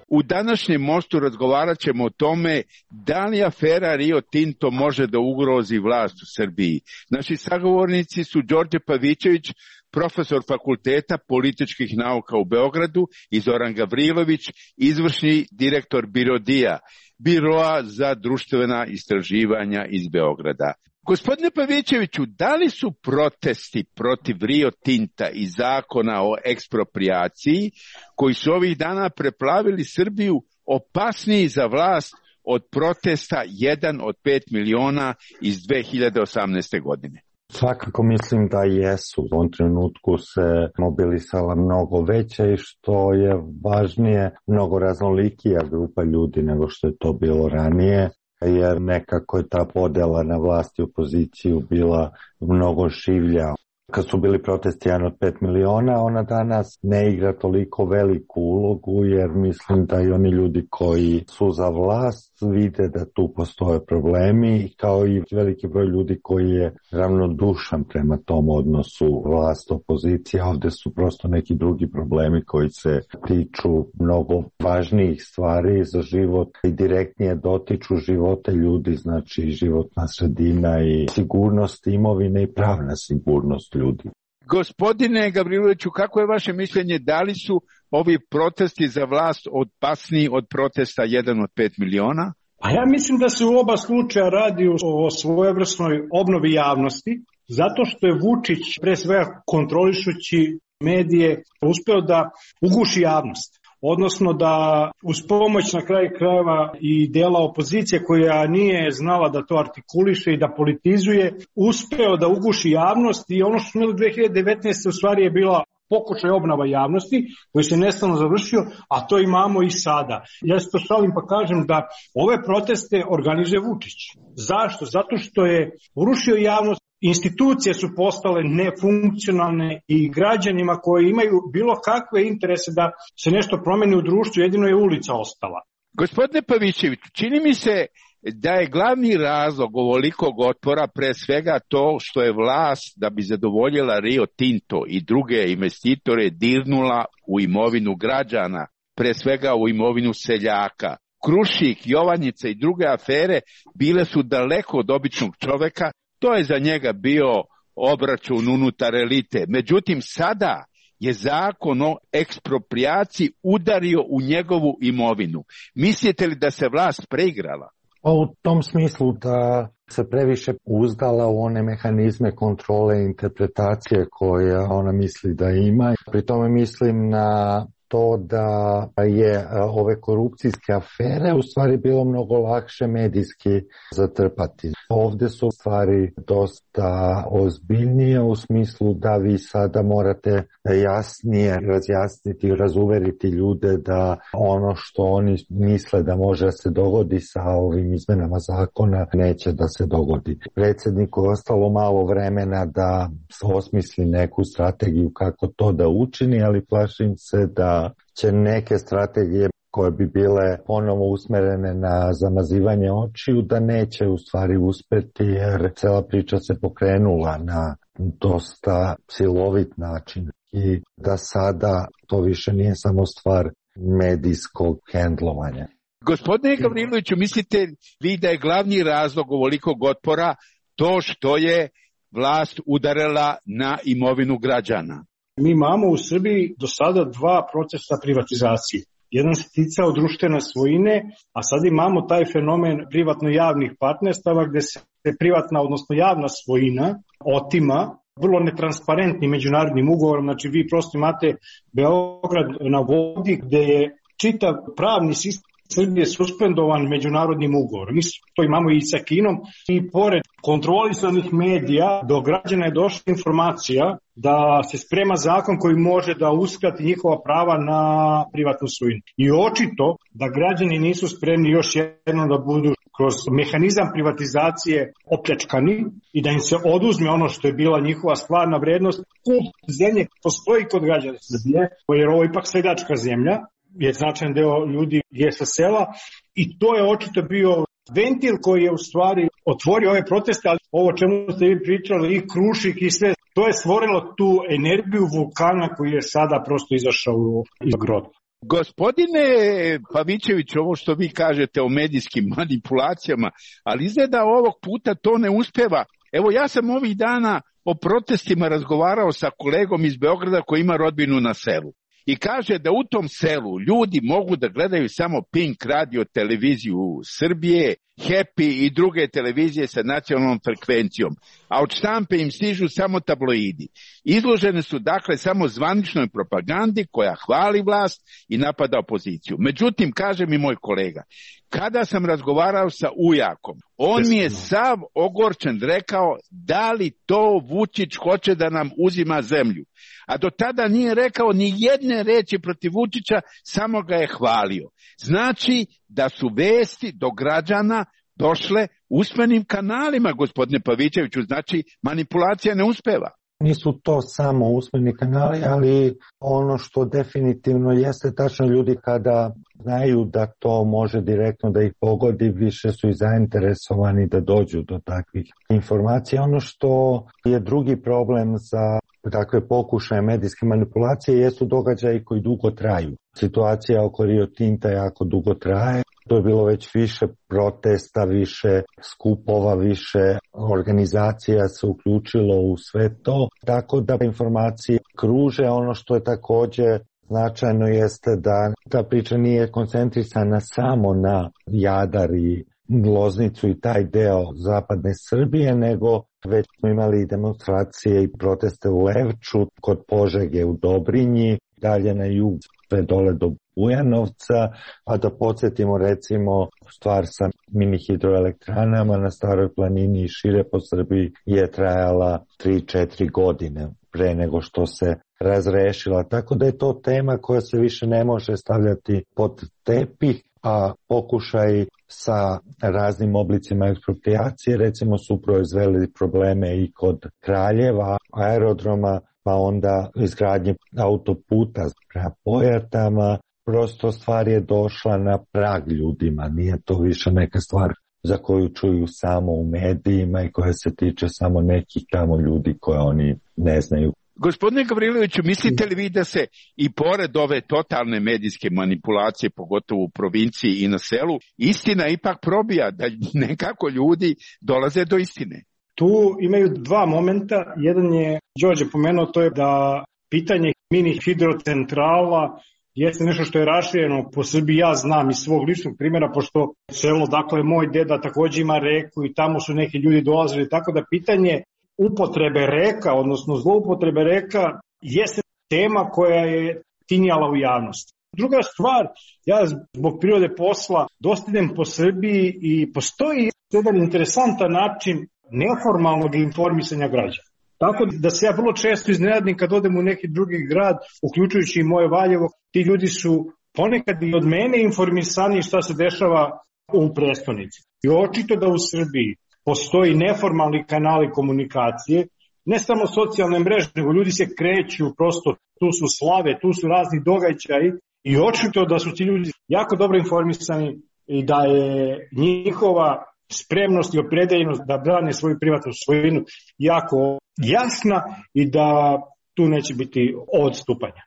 U današnjem mostu razgovarat ćemo o tome da li afera Rio Tinto može da ugrozi vlast u Srbiji. Naši sagovornici su Đorđe Pavićević, profesor Fakulteta političkih nauka u Beogradu, i Zoran Gavrilović, izvršni direktor Birodija, Biroa za društvena istraživanja iz Beograda. Gospodine Pavićeviću, da li su protesti protiv Rio Tinta i zakona o eksproprijaciji, koji su ovih dana preplavili Srbiju, opasniji za vlast od protesta jedan od pet miliona iz dve hiljade osamnaeste. godine? Svakako mislim da jesu. U ovom trenutku se mobilisala mnogo veća i što je važnije, mnogo raznolikija grupa ljudi nego što je to bilo ranije, jer nekako je ta podela na vlast i opoziciju bila mnogo šivlja. Kad su bili protesti jedan od pet miliona, ona danas ne igra toliko veliku ulogu, jer mislim da i oni ljudi koji su za vlast vide da tu postoje problemi, kao i veliki broj ljudi koji je ravnodušan prema tom odnosu vlast-opozicija. Ovde su prosto neki drugi problemi koji se tiču mnogo važnijih stvari za život i direktnije dotiču živote ljudi, znači životna sredina i sigurnost imovine i pravna sigurnost ljudi. Gospodine Gavriloviću, kako je vaše mišljenje, da li su ovi protesti za vlast opasniji od protesta jedan od pet miliona? A ja mislim da se u oba slučaja radi o svojevrsnoj obnovi javnosti, zato što je Vučić, pre svega kontrolišući medije, uspeo da uguši javnost. Odnosno da uz pomoć na kraju krajeva i dela opozicije koja nije znala da to artikuliše i da politizuje, uspeo da uguši javnost, i ono što smo imali dve hiljade devetnaeste. u stvari je bila pokušaj obnova javnosti koji se nestalno završio, a to imamo i sada. Ja se to šalim pa kažem da ove proteste organizuje Vučić. Zašto? Zato što je urušio javnost, institucije su postale nefunkcionalne i građanima koji imaju bilo kakve interese da se nešto promeni u društvu, jedino je ulica ostala. Gospodine Pavićević, čini mi se da je glavni razlog ovolikog otpora pre svega to što je vlast, da bi zadovoljila Rio Tinto i druge investitore, dirnula u imovinu građana, pre svega u imovinu seljaka, Krušik, Jovanjica i druge afere bile su daleko od običnog čoveka, to je za njega bio obračun unutar elite. Međutim, sada je zakon o eksproprijaciji udario u njegovu imovinu. Mislite li da se vlast preigrala? U tom smislu da se previše uzdala u one mehanizme kontrole i interpretacije koje ona misli da ima. Pri tome mislim na to da je ove korupcijske afere u stvari bilo mnogo lakše medijski zatrpati. Ovdje su stvari dosta ozbiljnije u smislu da vi sada morate jasnije razjasniti i razuveriti ljude da ono što oni misle da može se dogodi sa ovim izmenama zakona neće da se dogodi. Predsjedniku je ostalo malo vremena da osmisli neku strategiju kako to da učini, ali plašim se da će neke strategije koje bi bile ponovo usmerene na zamazivanje očiju, da neće u stvari uspeti jer cela priča se pokrenula na dosta silovit način i da sada to više nije samo stvar medijskog hendlovanja. Gospodine Gavriloviću, mislite vi da je glavni razlog ovolikog otpora to što je vlast udarila na imovinu građana? Mi imamo u Srbiji do sada dva procesa privatizacije. Jedan se ticao društvene svojine, a sad imamo taj fenomen privatno-javnih partnerstava gde se privatna, odnosno javna svojina otima vrlo netransparentnim međunarodnim ugovorom. Znači vi prosto imate Beograd na vodi gde je čitav pravni sistem Srbije suspendovan međunarodnim ugovorom. Mi to imamo i sa Kinom i pored kontrolisanih medija do građana je došla informacija da se sprema zakon koji može da uskrati njihova prava na privatnu svojinu. I očito da građani nisu spremni još jednom da budu kroz mehanizam privatizacije opljačkani i da im se oduzme ono što je bila njihova stvarna vrednost. Kult zemlje postoji kod građana Srbije, jer ovo je ipak seljačka zemlja, je značajan deo ljudi je sa sela i to je očito bio ventil koji je u stvari otvorio ove proteste, ali ovo čemu ste vi pričali i Krušik i sve, to je stvorilo tu energiju vulkana koji je sada prosto izašao iz groba. Gospodine Pavićević, ovo što vi kažete o medijskim manipulacijama, ali izgleda ovog puta to ne uspeva. Evo ja sam ovih dana o protestima razgovarao sa kolegom iz Beograda koji ima rodbinu na selu. I kaže da u tom selu ljudi mogu da gledaju samo Pink radio televiziju Srbije, Happy i druge televizije sa nacionalnom frekvencijom, a od štampe im stižu samo tabloidi. Izložene su dakle samo zvaničnoj propagandi koja hvali vlast i napada opoziciju. Međutim, kaže mi moj kolega, kada sam razgovarao sa ujakom, on mi je sav ogorčen rekao da li to Vučić hoće da nam uzima zemlju. A do tada nije rekao ni jedne reči protiv Vučića, samo ga je hvalio. Znači da su vesti do građana došle usmenim kanalima, gospodine Pavićeviću, znači manipulacija ne uspeva. Nisu to samo usmeni kanali, ali ono što definitivno jeste tačno, ljudi kada znaju da to može direktno da ih pogodi, više su i zainteresovani da dođu do takvih informacija. Ono što je drugi problem za takve pokušaje medijske manipulacije jesu događaji koji dugo traju. Situacija oko Rio Tinta jako dugo traje. To je bilo već više protesta, više skupova, više organizacija se uključilo u sve to. Tako da informacije kruže. Ono što je također značajno jeste da ta priča nije koncentrisana samo na Jadar i Loznicu i taj deo zapadne Srbije, nego već smo imali demonstracije i proteste u Levču, kod Požege u Dobrinji, dalje na jug sve dole do Bujanovca, a da podsjetimo recimo stvar sa mini hidroelektranama na Staroj planini i šire po Srbiji je trajala tri četiri godine pre nego što se razrešila. Tako da je to tema koja se više ne može stavljati pod tepih, a pokušaj sa raznim oblicima ekspropriacije recimo su proizveli probleme i kod Kraljeva, aerodroma, pa onda izgradnje autoputa prema Pojatama. Prosto stvar je došla na prag ljudima, nije to više neka stvar za koju čuju samo u medijima i koja se tiče samo nekih tamo ljudi koje oni ne znaju Gospodine Gavriloviću, mislite li vi da se i pored ove totalne medijske manipulacije, pogotovo u provinciji i na selu, istina ipak probija, da nekako ljudi dolaze do istine? Tu imaju dva momenta. Jedan je, Đorđe pomenuo, to je da pitanje mini hidrocentrala jeste nešto što je rašireno po Srbiji. Ja znam iz svog ličnog primjera, pošto selo, dakle, moj deda takođe ima reku i tamo su neki ljudi dolazili, tako da pitanje upotrebe reka, odnosno zloupotrebe reka, jeste tema koja je tinjala u javnosti. Druga stvar, ja zbog prirode posla dosta idem po Srbiji i postoji jedan interesantan način neformalnog informisanja građana. Tako da se ja vrlo često iznenadim kad odem u neki drugi grad, uključujući i moje Valjevo, ti ljudi su ponekad i od mene informisani šta se dešava u prestonici. I očito da u Srbiji postoji neformalni kanali komunikacije, ne samo socijalne mreže, nego ljudi se kreću, prosto tu su slave, tu su razni događaji i očito da su ti ljudi jako dobro informisani i da je njihova spremnost i opredeljenost da brane svoju privatnu svojinu jako jasna i da tu neće biti odstupanja.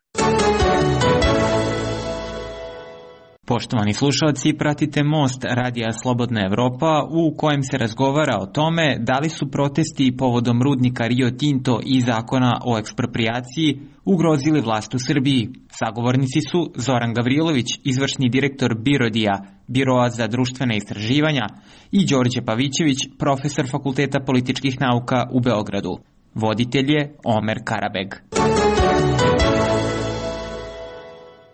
Poštovani slušalci, pratite Most Radija Slobodna Evropa u kojem se razgovara o tome da li su protesti povodom rudnika Rio Tinto i zakona o eksproprijaciji ugrozili vlast u Srbiji. Sagovornici su Zoran Gavrilović, izvršni direktor Birodija, Biroa za društvene istraživanja, i Đorđe Pavićević, profesor Fakulteta političkih nauka u Beogradu. Voditelj je Omer Karabeg.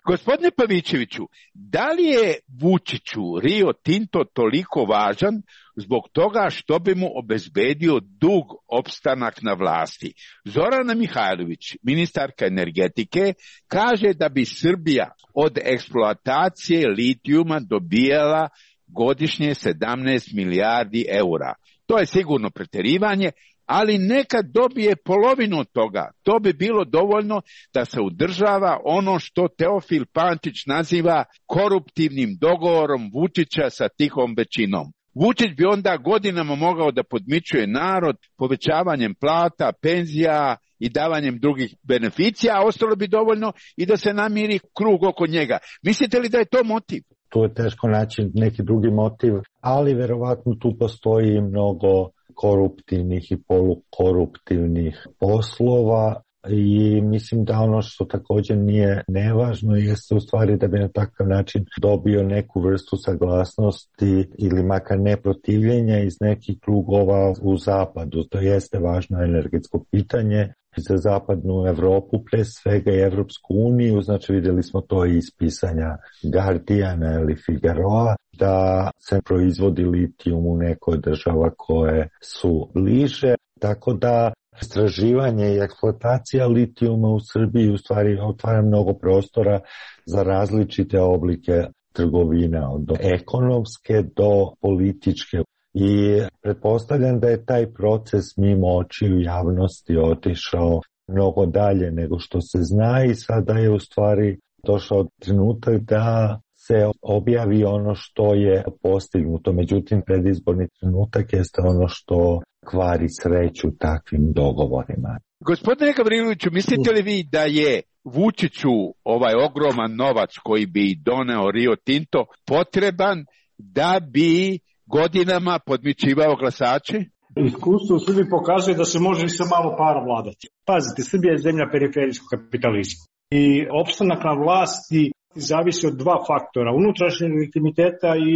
Gospodine Pavićeviću, da li je Vučiću Rio Tinto toliko važan zbog toga što bi mu obezbedio dug opstanak na vlasti? Zorana Mihajlović, ministarka energetike, kaže da bi Srbija od eksploatacije litijuma dobijala godišnje sedamnaest milijardi eura. To je sigurno preterivanje, ali neka dobije polovinu od toga. To bi bilo dovoljno da se udržava ono što Teofil Pančić naziva koruptivnim dogovorom Vučića sa tihom većinom. Vučić bi onda godinama mogao da podmićuje narod povećavanjem plata, penzija i davanjem drugih beneficija, a ostalo bi dovoljno i da se namiri krug oko njega. Mislite li da je to motiv? Tu je teško naći neki drugi motiv, ali verovatno tu postoji mnogo koruptivnih i polukoruptivnih poslova i mislim da ono što također nije nevažno jeste u stvari da bi na takav način dobio neku vrstu saglasnosti ili makar neprotivljenja iz nekih krugova u zapadu. To jeste važno energetsko pitanje za zapadnu Evropu, pre svega i Evropsku uniju, znači vidjeli smo to i iz pisanja Guardiana ili Figaroa, da se proizvodi litijum u nekoj država koje su bliže, tako da istraživanje i eksploatacija litijuma u Srbiji u stvari otvara mnogo prostora za različite oblike trgovina, od ekonomske do političke. I pretpostavljam da je taj proces mimo očiju javnosti otišao mnogo dalje nego što se zna i sada je u stvari došao trenutak da se objavi ono što je postignuto. Međutim, predizborni trenutak jeste ono što kvari sreću takvim dogovorima. Gospodine Gavriloviću, mislite li vi da je Vučiću ovaj ogroman novac koji bi doneo Rio Tinto potreban da bi godinama podmićivao glasače? Iskustvo u Srbiji pokazuje da se može i sa malo para vladati. Pazite, Srbija je zemlja periferijskog kapitalizma i opstanak na vlasti zavisi od dva faktora, unutrašnjeg legitimiteta i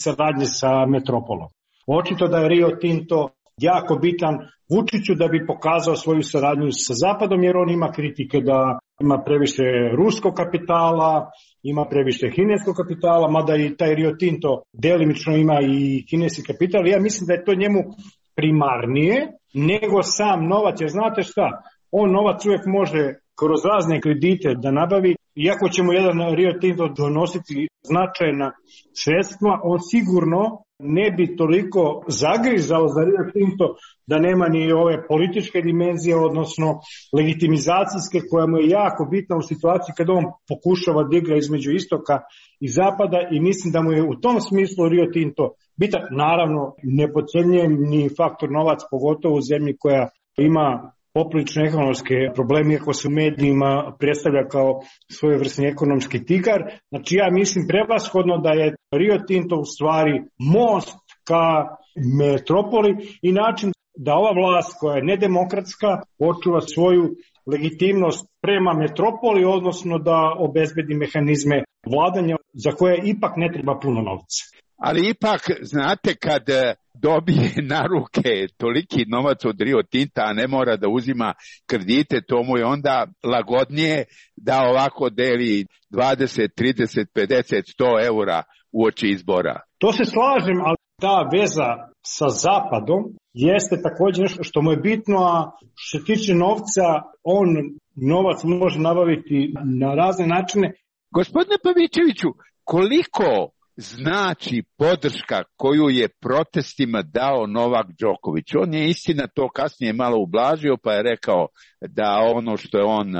saradnje sa metropolom. Očito da je Rio Tinto jako bitan Vučiću da bi pokazao svoju saradnju sa Zapadom, jer on ima kritike da ima previše ruskog kapitala, ima previše kineskog kapitala, mada i taj Rio Tinto delimično ima i kineski kapital. Ja mislim da je to njemu primarnije nego sam novac, jer znate šta, on novac uvijek može kroz razne kredite da nabavi. Iako će mu jedan Rio Tinto donositi značajna sredstva, on sigurno ne bi toliko zagrizao za Rio Tinto da nema ni ove političke dimenzije, odnosno legitimizacijske, koja mu je jako bitna u situaciji kada on pokušava da igra između istoka i zapada, i mislim da mu je u tom smislu Rio Tinto bitan. Naravno, ne podcjenjujem ni faktor novac, pogotovo u zemlji koja ima poprilične ekonomske probleme, iako se u medijima predstavlja kao svojevrsni ekonomski tigar. Znači ja mislim prevashodno da je Rio Tinto u stvari most ka metropoli i način da ova vlast koja je nedemokratska očuva svoju legitimnost prema metropoli, odnosno da obezbedi mehanizme vladanja za koje ipak ne treba puno novca. Ali ipak, znate, kad dobije na ruke toliki novac od Rio Tinta, a ne mora da uzima kredite, to mu je onda lagodnije da ovako deli dvadeset, trideset, pedeset, sto eura u oči izbora. To se slažem, ali ta veza sa Zapadom jeste također nešto što mu je bitno, a što se tiče novca, on novac može nabaviti na razne načine. Gospodine Pavićeviću, koliko znači podrška koju je protestima dao Novak Đoković? On je istina to kasnije malo ublažio, pa je rekao da ono što je on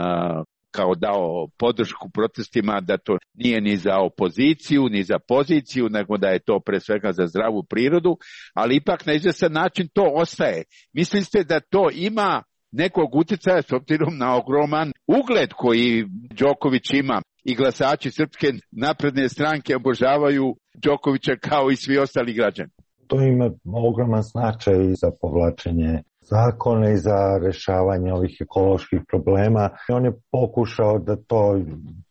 kao dao podršku protestima, da to nije ni za opoziciju, ni za poziciju, nego da je to pre svega za zdravu prirodu, ali ipak na izvestan način to ostaje. Mislite da to ima nekog uticaja s obzirom na ogroman ugled koji Đoković ima i glasači Srpske napredne stranke obožavaju Đokovića kao i svi ostali građani? To ima ogroman značaj i za povlačenje zakona i za rešavanje ovih ekoloških problema. On je pokušao da to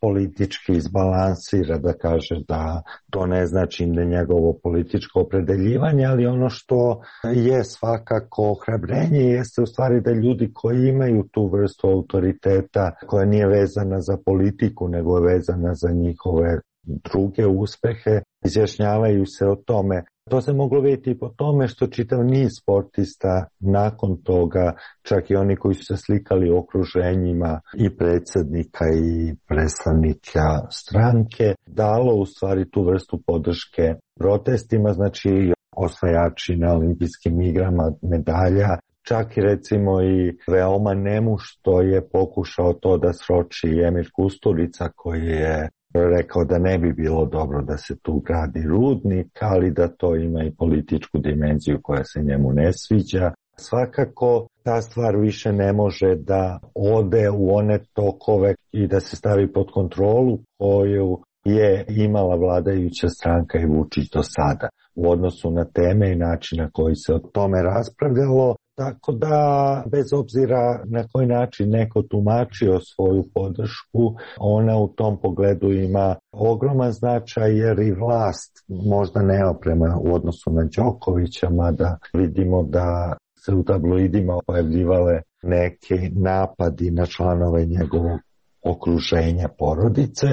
politički izbalansira, da kaže da to ne znači da njegovo političko opredeljivanje, ali ono što je svakako ohrabrenje jeste u stvari da ljudi koji imaju tu vrstu autoriteta koja nije vezana za politiku, nego je vezana za njihove druge uspehe, izjašnjavaju se o tome. To se moglo vidjeti po tome što čitav niz sportista nakon toga, čak i oni koji su se slikali u okruženjima i predsjednika i predstavnika stranke, dalo u stvari tu vrstu podrške protestima, znači osvajači na olimpijskim igrama medalja, čak i recimo i veoma nemušto je pokušao to da sroči Emir Kusturica koji je rekao da ne bi bilo dobro da se tu gradi rudnik, ali da to ima i političku dimenziju koja se njemu ne sviđa. Svakako ta stvar više ne može da ode u one tokove i da se stavi pod kontrolu koju je imala vladajuća stranka i Vučić do sada u odnosu na teme i način na koji se o tome raspravljalo. Tako da, bez obzira na koji način neko tumačio svoju podršku, ona u tom pogledu ima ogroman značaj jer i vlast možda nema prema u odnosu na Đokovića, mada vidimo da se u tabloidima pojavljivale neki napadi na članove njegovog okruženja porodice.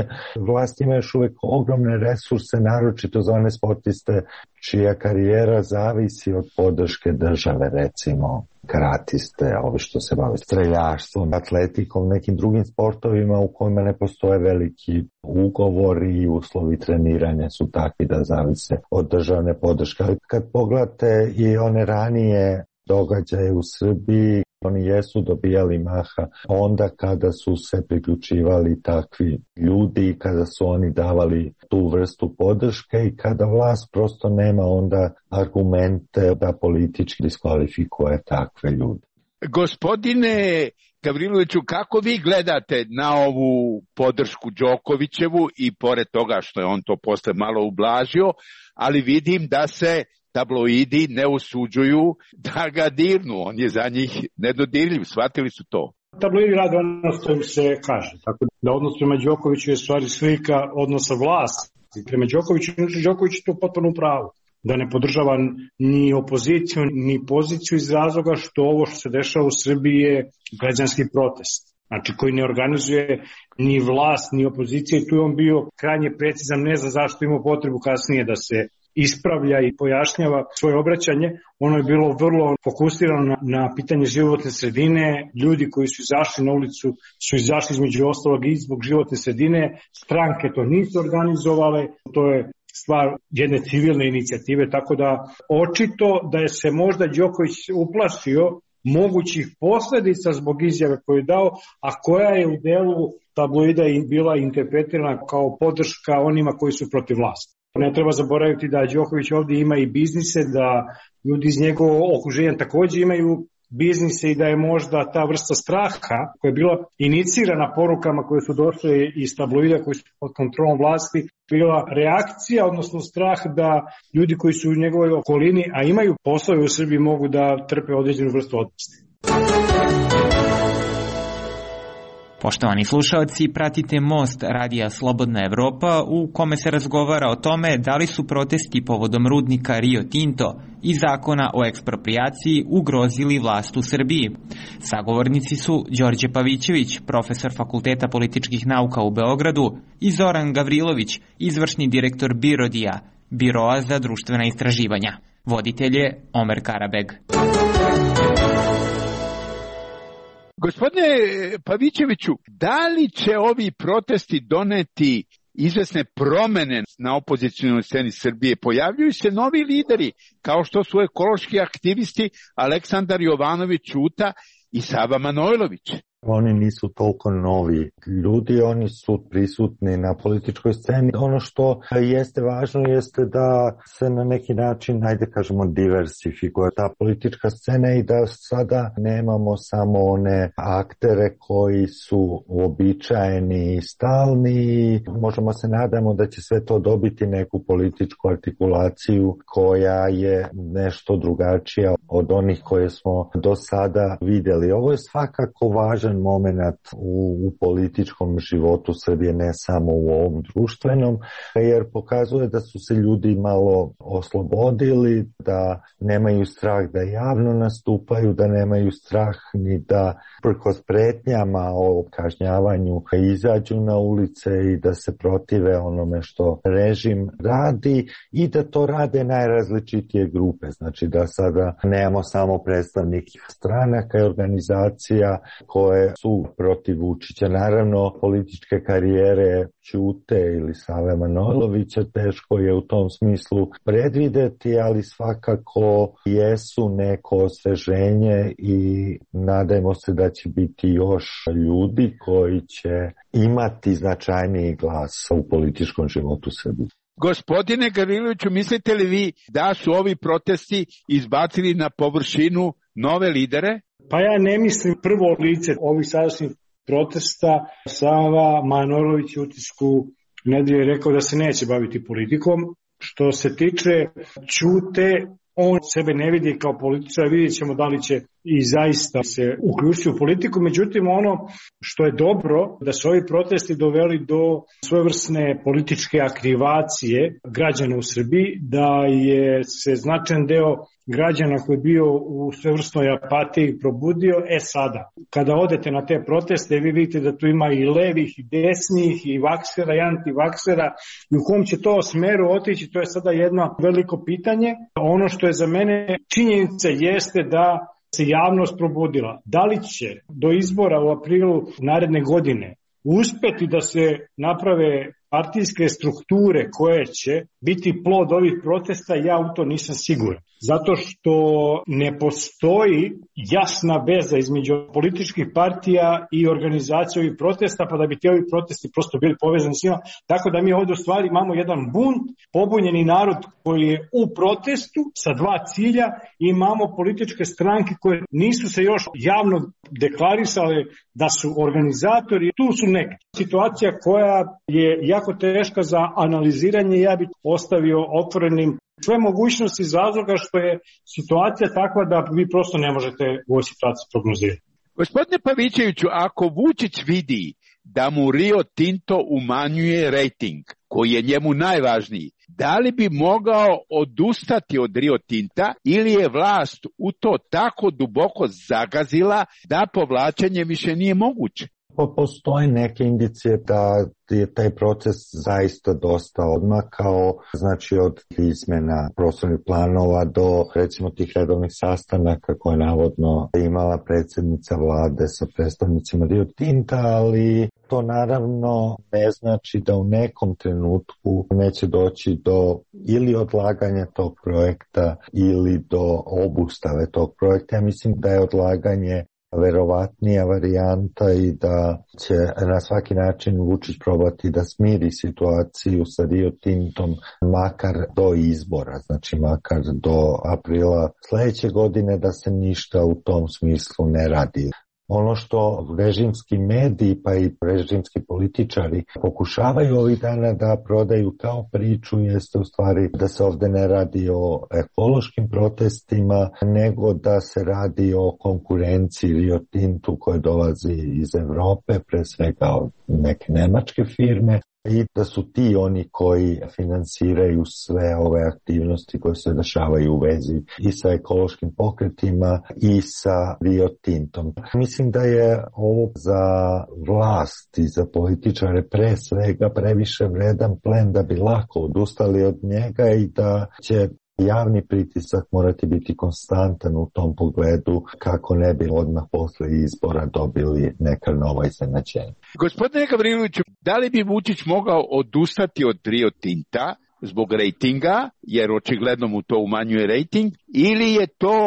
Vlast ima još uvijek ogromne resurse, naročito za one sportiste čija karijera zavisi od podrške države, recimo karatiste, ovi što se bave streljaštvom, atletikom, nekim drugim sportovima u kojima ne postoje veliki ugovori i uslovi treniranja su takvi da zavise od državne podrške. Ali kad pogledate i one ranije događaje u Srbiji, oni jesu dobijali maha onda kada su se priključivali takvi ljudi i kada su oni davali tu vrstu podrške i kada vlast prosto nema onda argumente da politički diskvalifikuje takve ljude. Gospodine Gavriloviću, kako vi gledate na ovu podršku Đokovićevu i pored toga što je on to posle malo ublažio, ali vidim da se tabloidi ne usuđuju da ga dirnu, on je za njih nedodirljiv, shvatili su to. Tabloidi rade ono što im se kaže, tako da odnos prema Đokoviću je stvari slika odnosa vlasti prema Đokoviću, znači Đoković je to potpuno u pravu, da ne podržava ni opoziciju, ni poziciju iz razloga što ovo što se dešava u Srbiji je građanski protest, znači koji ne organizuje ni vlast, ni opozicija i tu je on bio krajnje precizan, ne znam zašto imao potrebu kasnije da se ispravlja i pojašnjava svoje obraćanje. Ono je bilo vrlo fokusirano na, na pitanje životne sredine. Ljudi koji su izašli na ulicu su izašli između ostalog i zbog životne sredine. Stranke to nisu organizovale. To je stvar jedne civilne inicijative, tako da očito da je se možda Đoković uplašio mogućih posljedica zbog izjave koju je dao, a koja je u delu tabloida bila interpretirana kao podrška onima koji su protiv vlasti. Ne treba zaboraviti da Đoković ovdje ima i biznise, da ljudi iz njegovog okruženja također imaju biznise i da je možda ta vrsta straha koja je bila inicirana porukama koje su došle iz tabloida koji su pod kontrolom vlasti bila reakcija, odnosno strah da ljudi koji su u njegovoj okolini, a imaju poslove u Srbiji, mogu da trpe određenu vrstu otpasti. Poštovani slušalci, pratite Most radija Slobodna Evropa u kome se razgovara o tome da li su protesti povodom rudnika Rio Tinto i zakona o eksproprijaciji ugrozili vlast u Srbiji. Sagovornici su Đorđe Pavićević, profesor Fakulteta političkih nauka u Beogradu, i Zoran Gavrilović, izvršni direktor BIRODija, Biroa za društvena istraživanja. Voditelj je Omer Karabeg. Gospodine Pavićeviću, da li će ovi protesti doneti izvesne promene na opozicionoj sceni Srbije? Pojavljuju se novi lideri, kao što su ekološki aktivisti Aleksandar Jovanović Ćuta i Sava Manojlović. Oni nisu toliko novi ljudi, oni su prisutni na političkoj sceni. Ono što jeste važno jeste da se na neki način, ajde kažemo, diversifikuje ta politička scena i da sada nemamo samo one aktere koji su uobičajeni i stalni. Možemo se nadamo da će sve to dobiti neku političku artikulaciju koja je nešto drugačija od onih koje smo do sada vidjeli. Ovo je svakako važan moment u, u političkom životu Srbije, ne samo u ovom društvenom, jer pokazuje da su se ljudi malo oslobodili, da nemaju strah da javno nastupaju, da nemaju strah ni da prkos pretnjama o kažnjavanju izađu na ulice i da se protive onome što režim radi i da to rade najrazličitije grupe. Znači da sada nemamo samo predstavnike stranaka i organizacija koje su protiv Vučića. Naravno, političke karijere Ćute ili Save Manojlovića teško je u tom smislu predvideti, ali svakako jesu neko osveženje i nadajmo se da će biti još ljudi koji će imati značajniji glas u političkom životu Srbije. Gospodine Gavriloviću, mislite li vi da su ovi protesti izbacili na površinu nove lidere? Pa ja ne mislim prvo lice ovih sadašnjih protesta. Sava Manojlović u utisku nedelje rekao da se neće baviti politikom. Što se tiče Ćute, on sebe ne vidi kao političar, vidjet ćemo da li će i zaista se uključiti u politiku. Međutim, ono što je dobro, da su ovi protesti doveli do svojevrsne političke aktivacije građana u Srbiji, da je se značajan deo građana koji je bio u svevrsnoj apatiji probudio. E sada, kada odete na te proteste, vi vidite da tu ima i levih, i desnih, i vaksera, i antivaksera, i u kom će to smeru otići, to je sada jedno veliko pitanje. Ono što je za mene činjenica jeste da se javnost probudila. Da li će do izbora u aprilu naredne godine uspeti da se naprave partijske strukture koje će biti plod ovih protesta, ja u to nisam siguran. Zato što ne postoji jasna veza između političkih partija i organizacije ovih protesta, pa da bi ti ovi protesti prosto bili povezani s njima. Tako da mi ovdje u stvari imamo jedan bunt, pobunjeni narod koji je u protestu sa dva cilja, i imamo političke stranke koje nisu se još javno deklarisale da su organizatori. Tu su neke situacija koja je jako teška za analiziranje, ja bih ostavio otvorenim sve mogućnosti iz razloga što je situacija takva da vi prosto ne možete u ovoj situaciji prognozirati. Gospodine Pavićeviću, ako Vučić vidi da mu Rio Tinto umanjuje rejting, koji je njemu najvažniji, da li bi mogao odustati od Rio Tinta ili je vlast u to tako duboko zagazila da povlačenje više nije moguće? Postoje neke indicije da je taj proces zaista dosta odmakao, znači od izmjena prostornih planova do recimo tih redovnih sastanaka koje navodno imala predsjednica vlade sa predstavnicima Rio Tinta, ali to naravno ne znači da u nekom trenutku neće doći do ili odlaganja tog projekta ili do obustave tog projekta. Ja mislim da je odlaganje verovatnija varijanta i da će na svaki način Vučić probati da smiri situaciju sa Rio Tintom makar do izbora, znači makar do aprila sledeće godine, da se ništa u tom smislu ne radi. Ono što režimski mediji pa i režimski političari pokušavaju ovih dana da prodaju kao priču jeste u stvari da se ovde ne radi o ekološkim protestima, nego da se radi o konkurenciji Rio Tintu koje dolazi iz Evrope, pre svega od neke nemačke firme, i da su ti oni koji finansiraju sve ove aktivnosti koje se dešavaju u vezi i sa ekološkim pokretima i sa Rio Tintom. Mislim da je ovo za vlast i za političare pre svega previše vredan plen da bi lako odustali od njega i da će javni pritisak morati biti konstantan u tom pogledu kako ne bi odmah posle izbora dobili neka nova iznenađenja. Gospodine Gavriloviću, da li bi Vučić mogao odustati od Rio Tinta zbog rejtinga, jer očigledno mu to umanjuje rejting, ili je to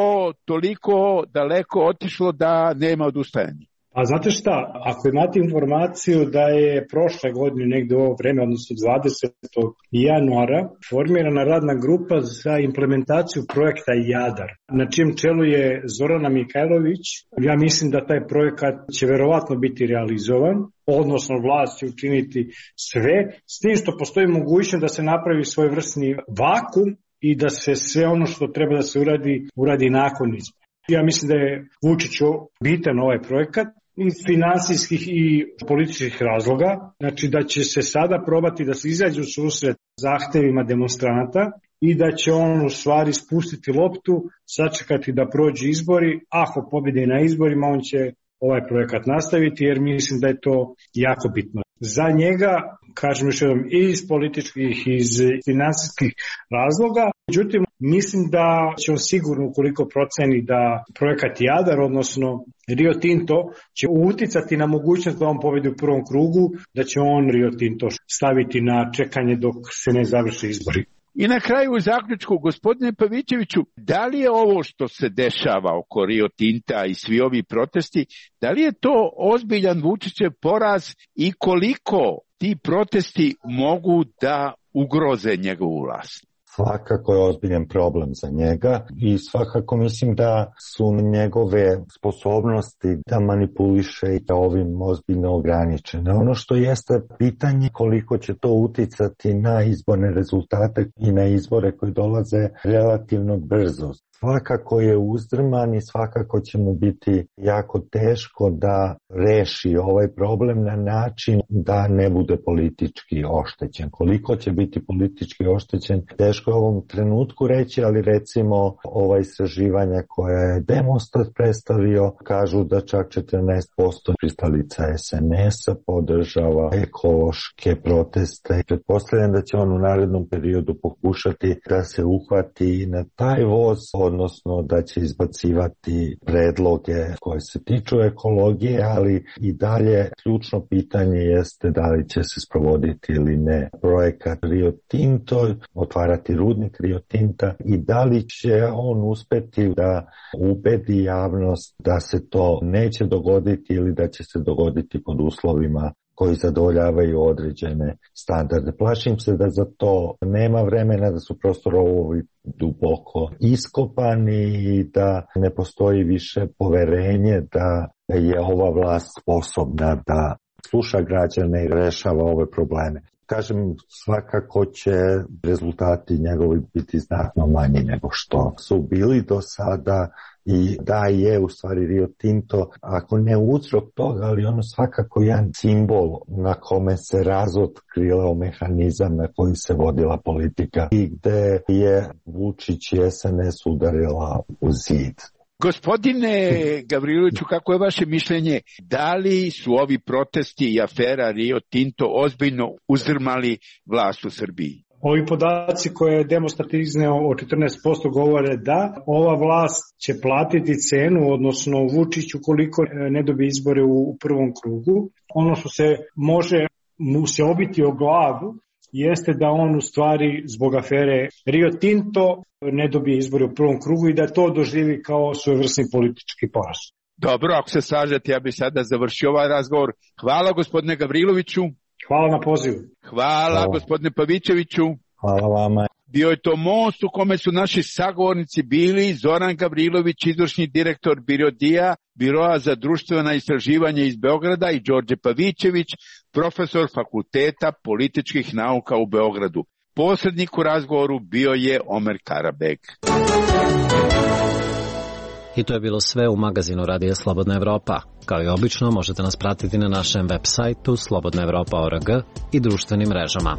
toliko daleko otišlo da nema odustajanja? A znate šta, ako imate informaciju da je prošle godine negde u ovo vreme, odnosno dvadesetog januara, formirana radna grupa za implementaciju projekta Jadar, na čijem čelu je Zorana Mihajlović, ja mislim da taj projekat će verovatno biti realizovan, odnosno vlast će učiniti sve, s tim što postoji mogućnost da se napravi svojevrsni vakum i da se sve ono što treba da se uradi, uradi nakon izbora. Ja mislim da je Vučiću bitan ovaj projekat iz finansijskih i političkih razloga, znači da će se sada probati da se izađe u susret zahtevima demonstranata i da će on u stvari spustiti loptu, sačekati da prođu izbori, ako pobjede na izborima on će ovaj projekat nastaviti jer mislim da je to jako bitno. Za njega, kažem još jednom, i iz političkih i iz finansijskih razloga, međutim, mislim da će on sigurno, ukoliko proceni da projekat Jadar, odnosno Rio Tinto, će uticati na mogućnost da on pobedi u prvom krugu, da će on Rio Tinto staviti na čekanje dok se ne završe izbori. I na kraju u zaključku, gospodine Pavićeviću, da li je ovo što se dešava oko Rio Tinta i svi ovi protesti, da li je to ozbiljan Vučićev poraz i koliko ti protesti mogu da ugroze njegovu vlast? Svakako je ozbiljan problem za njega i svakako mislim da su njegove sposobnosti da manipuliše i da ovim ozbiljno ograničene. Ono što jeste pitanje koliko će to uticati na izborne rezultate i na izbore koji dolaze relativno brzo. Svakako je uzdrman i svakako će mu biti jako teško da reši ovaj problem na način da ne bude politički oštećen. Koliko će biti politički oštećen, teško je u ovom trenutku reći, ali recimo ova istraživanja koja je Demostat predstavio kažu da čak četrnaest posto pristalica es en es-a podržava ekološke proteste. Pretpostavljam da će on u narednom periodu pokušati da se uhvati na taj voz, odnosno da će izbacivati predloge koje se tiču ekologije, ali i dalje ključno pitanje jeste da li će se sprovoditi ili ne projekat Rio Tinto, otvarati rudnik Rio Tinta i da li će on uspeti da ubedi javnost da se to neće dogoditi ili da će se dogoditi pod uslovima koji zadovoljavaju određene standarde. Plašim se da za to nema vremena, da su prosto rovovi duboko iskopani i da ne postoji više poverenje da je ova vlast sposobna da sluša građane i rešava ove probleme. Kažem, svakako će rezultati njegovi biti znatno manji nego što su bili do sada i da je u stvari Rio Tinto, ako ne uzrok toga, ali ono svakako jedan simbol na kome se razotkrilao mehanizam na koji se vodila politika i gde je Vučić i es en es udarila u zid. Gospodine Gavriloviću, kako je vaše mišljenje, da li su ovi protesti i afera Rio Tinto ozbiljno uzdrmali vlast u Srbiji? Ovi podaci koje je Demostat izneo o četrnaest posto govore da ova vlast će platiti cenu, odnosno Vučić ukoliko ne dobije izbore u prvom krugu. Ono što se može mu se obiti o glavu jeste da on u stvari zbog afere Rio Tinto ne dobije izbore u prvom krugu i da to doživi kao svojevrsni politički poraz. Dobro, ako se slažete, ja bih sada završio ovaj razgovor. Hvala gospodine Gavriloviću. Hvala na pozivu. Hvala, Hvala. gospodine Pavićeviću. Hvala vama. Bio je to most u kome su naši sagovornici bili Zoran Gavrilović, izvršni direktor Birodija, Biroa za društvena istraživanja iz Beograda, i Đorđe Pavićević, profesor Fakulteta političkih nauka u Beogradu. Posrednik u razgovoru bio je Omer Karabek. I to je bilo sve u magazinu Radija Slobodna Evropa. Kao i obično, možete nas pratiti na našem web sajtu slobodna evropa tačka org i društvenim mrežama.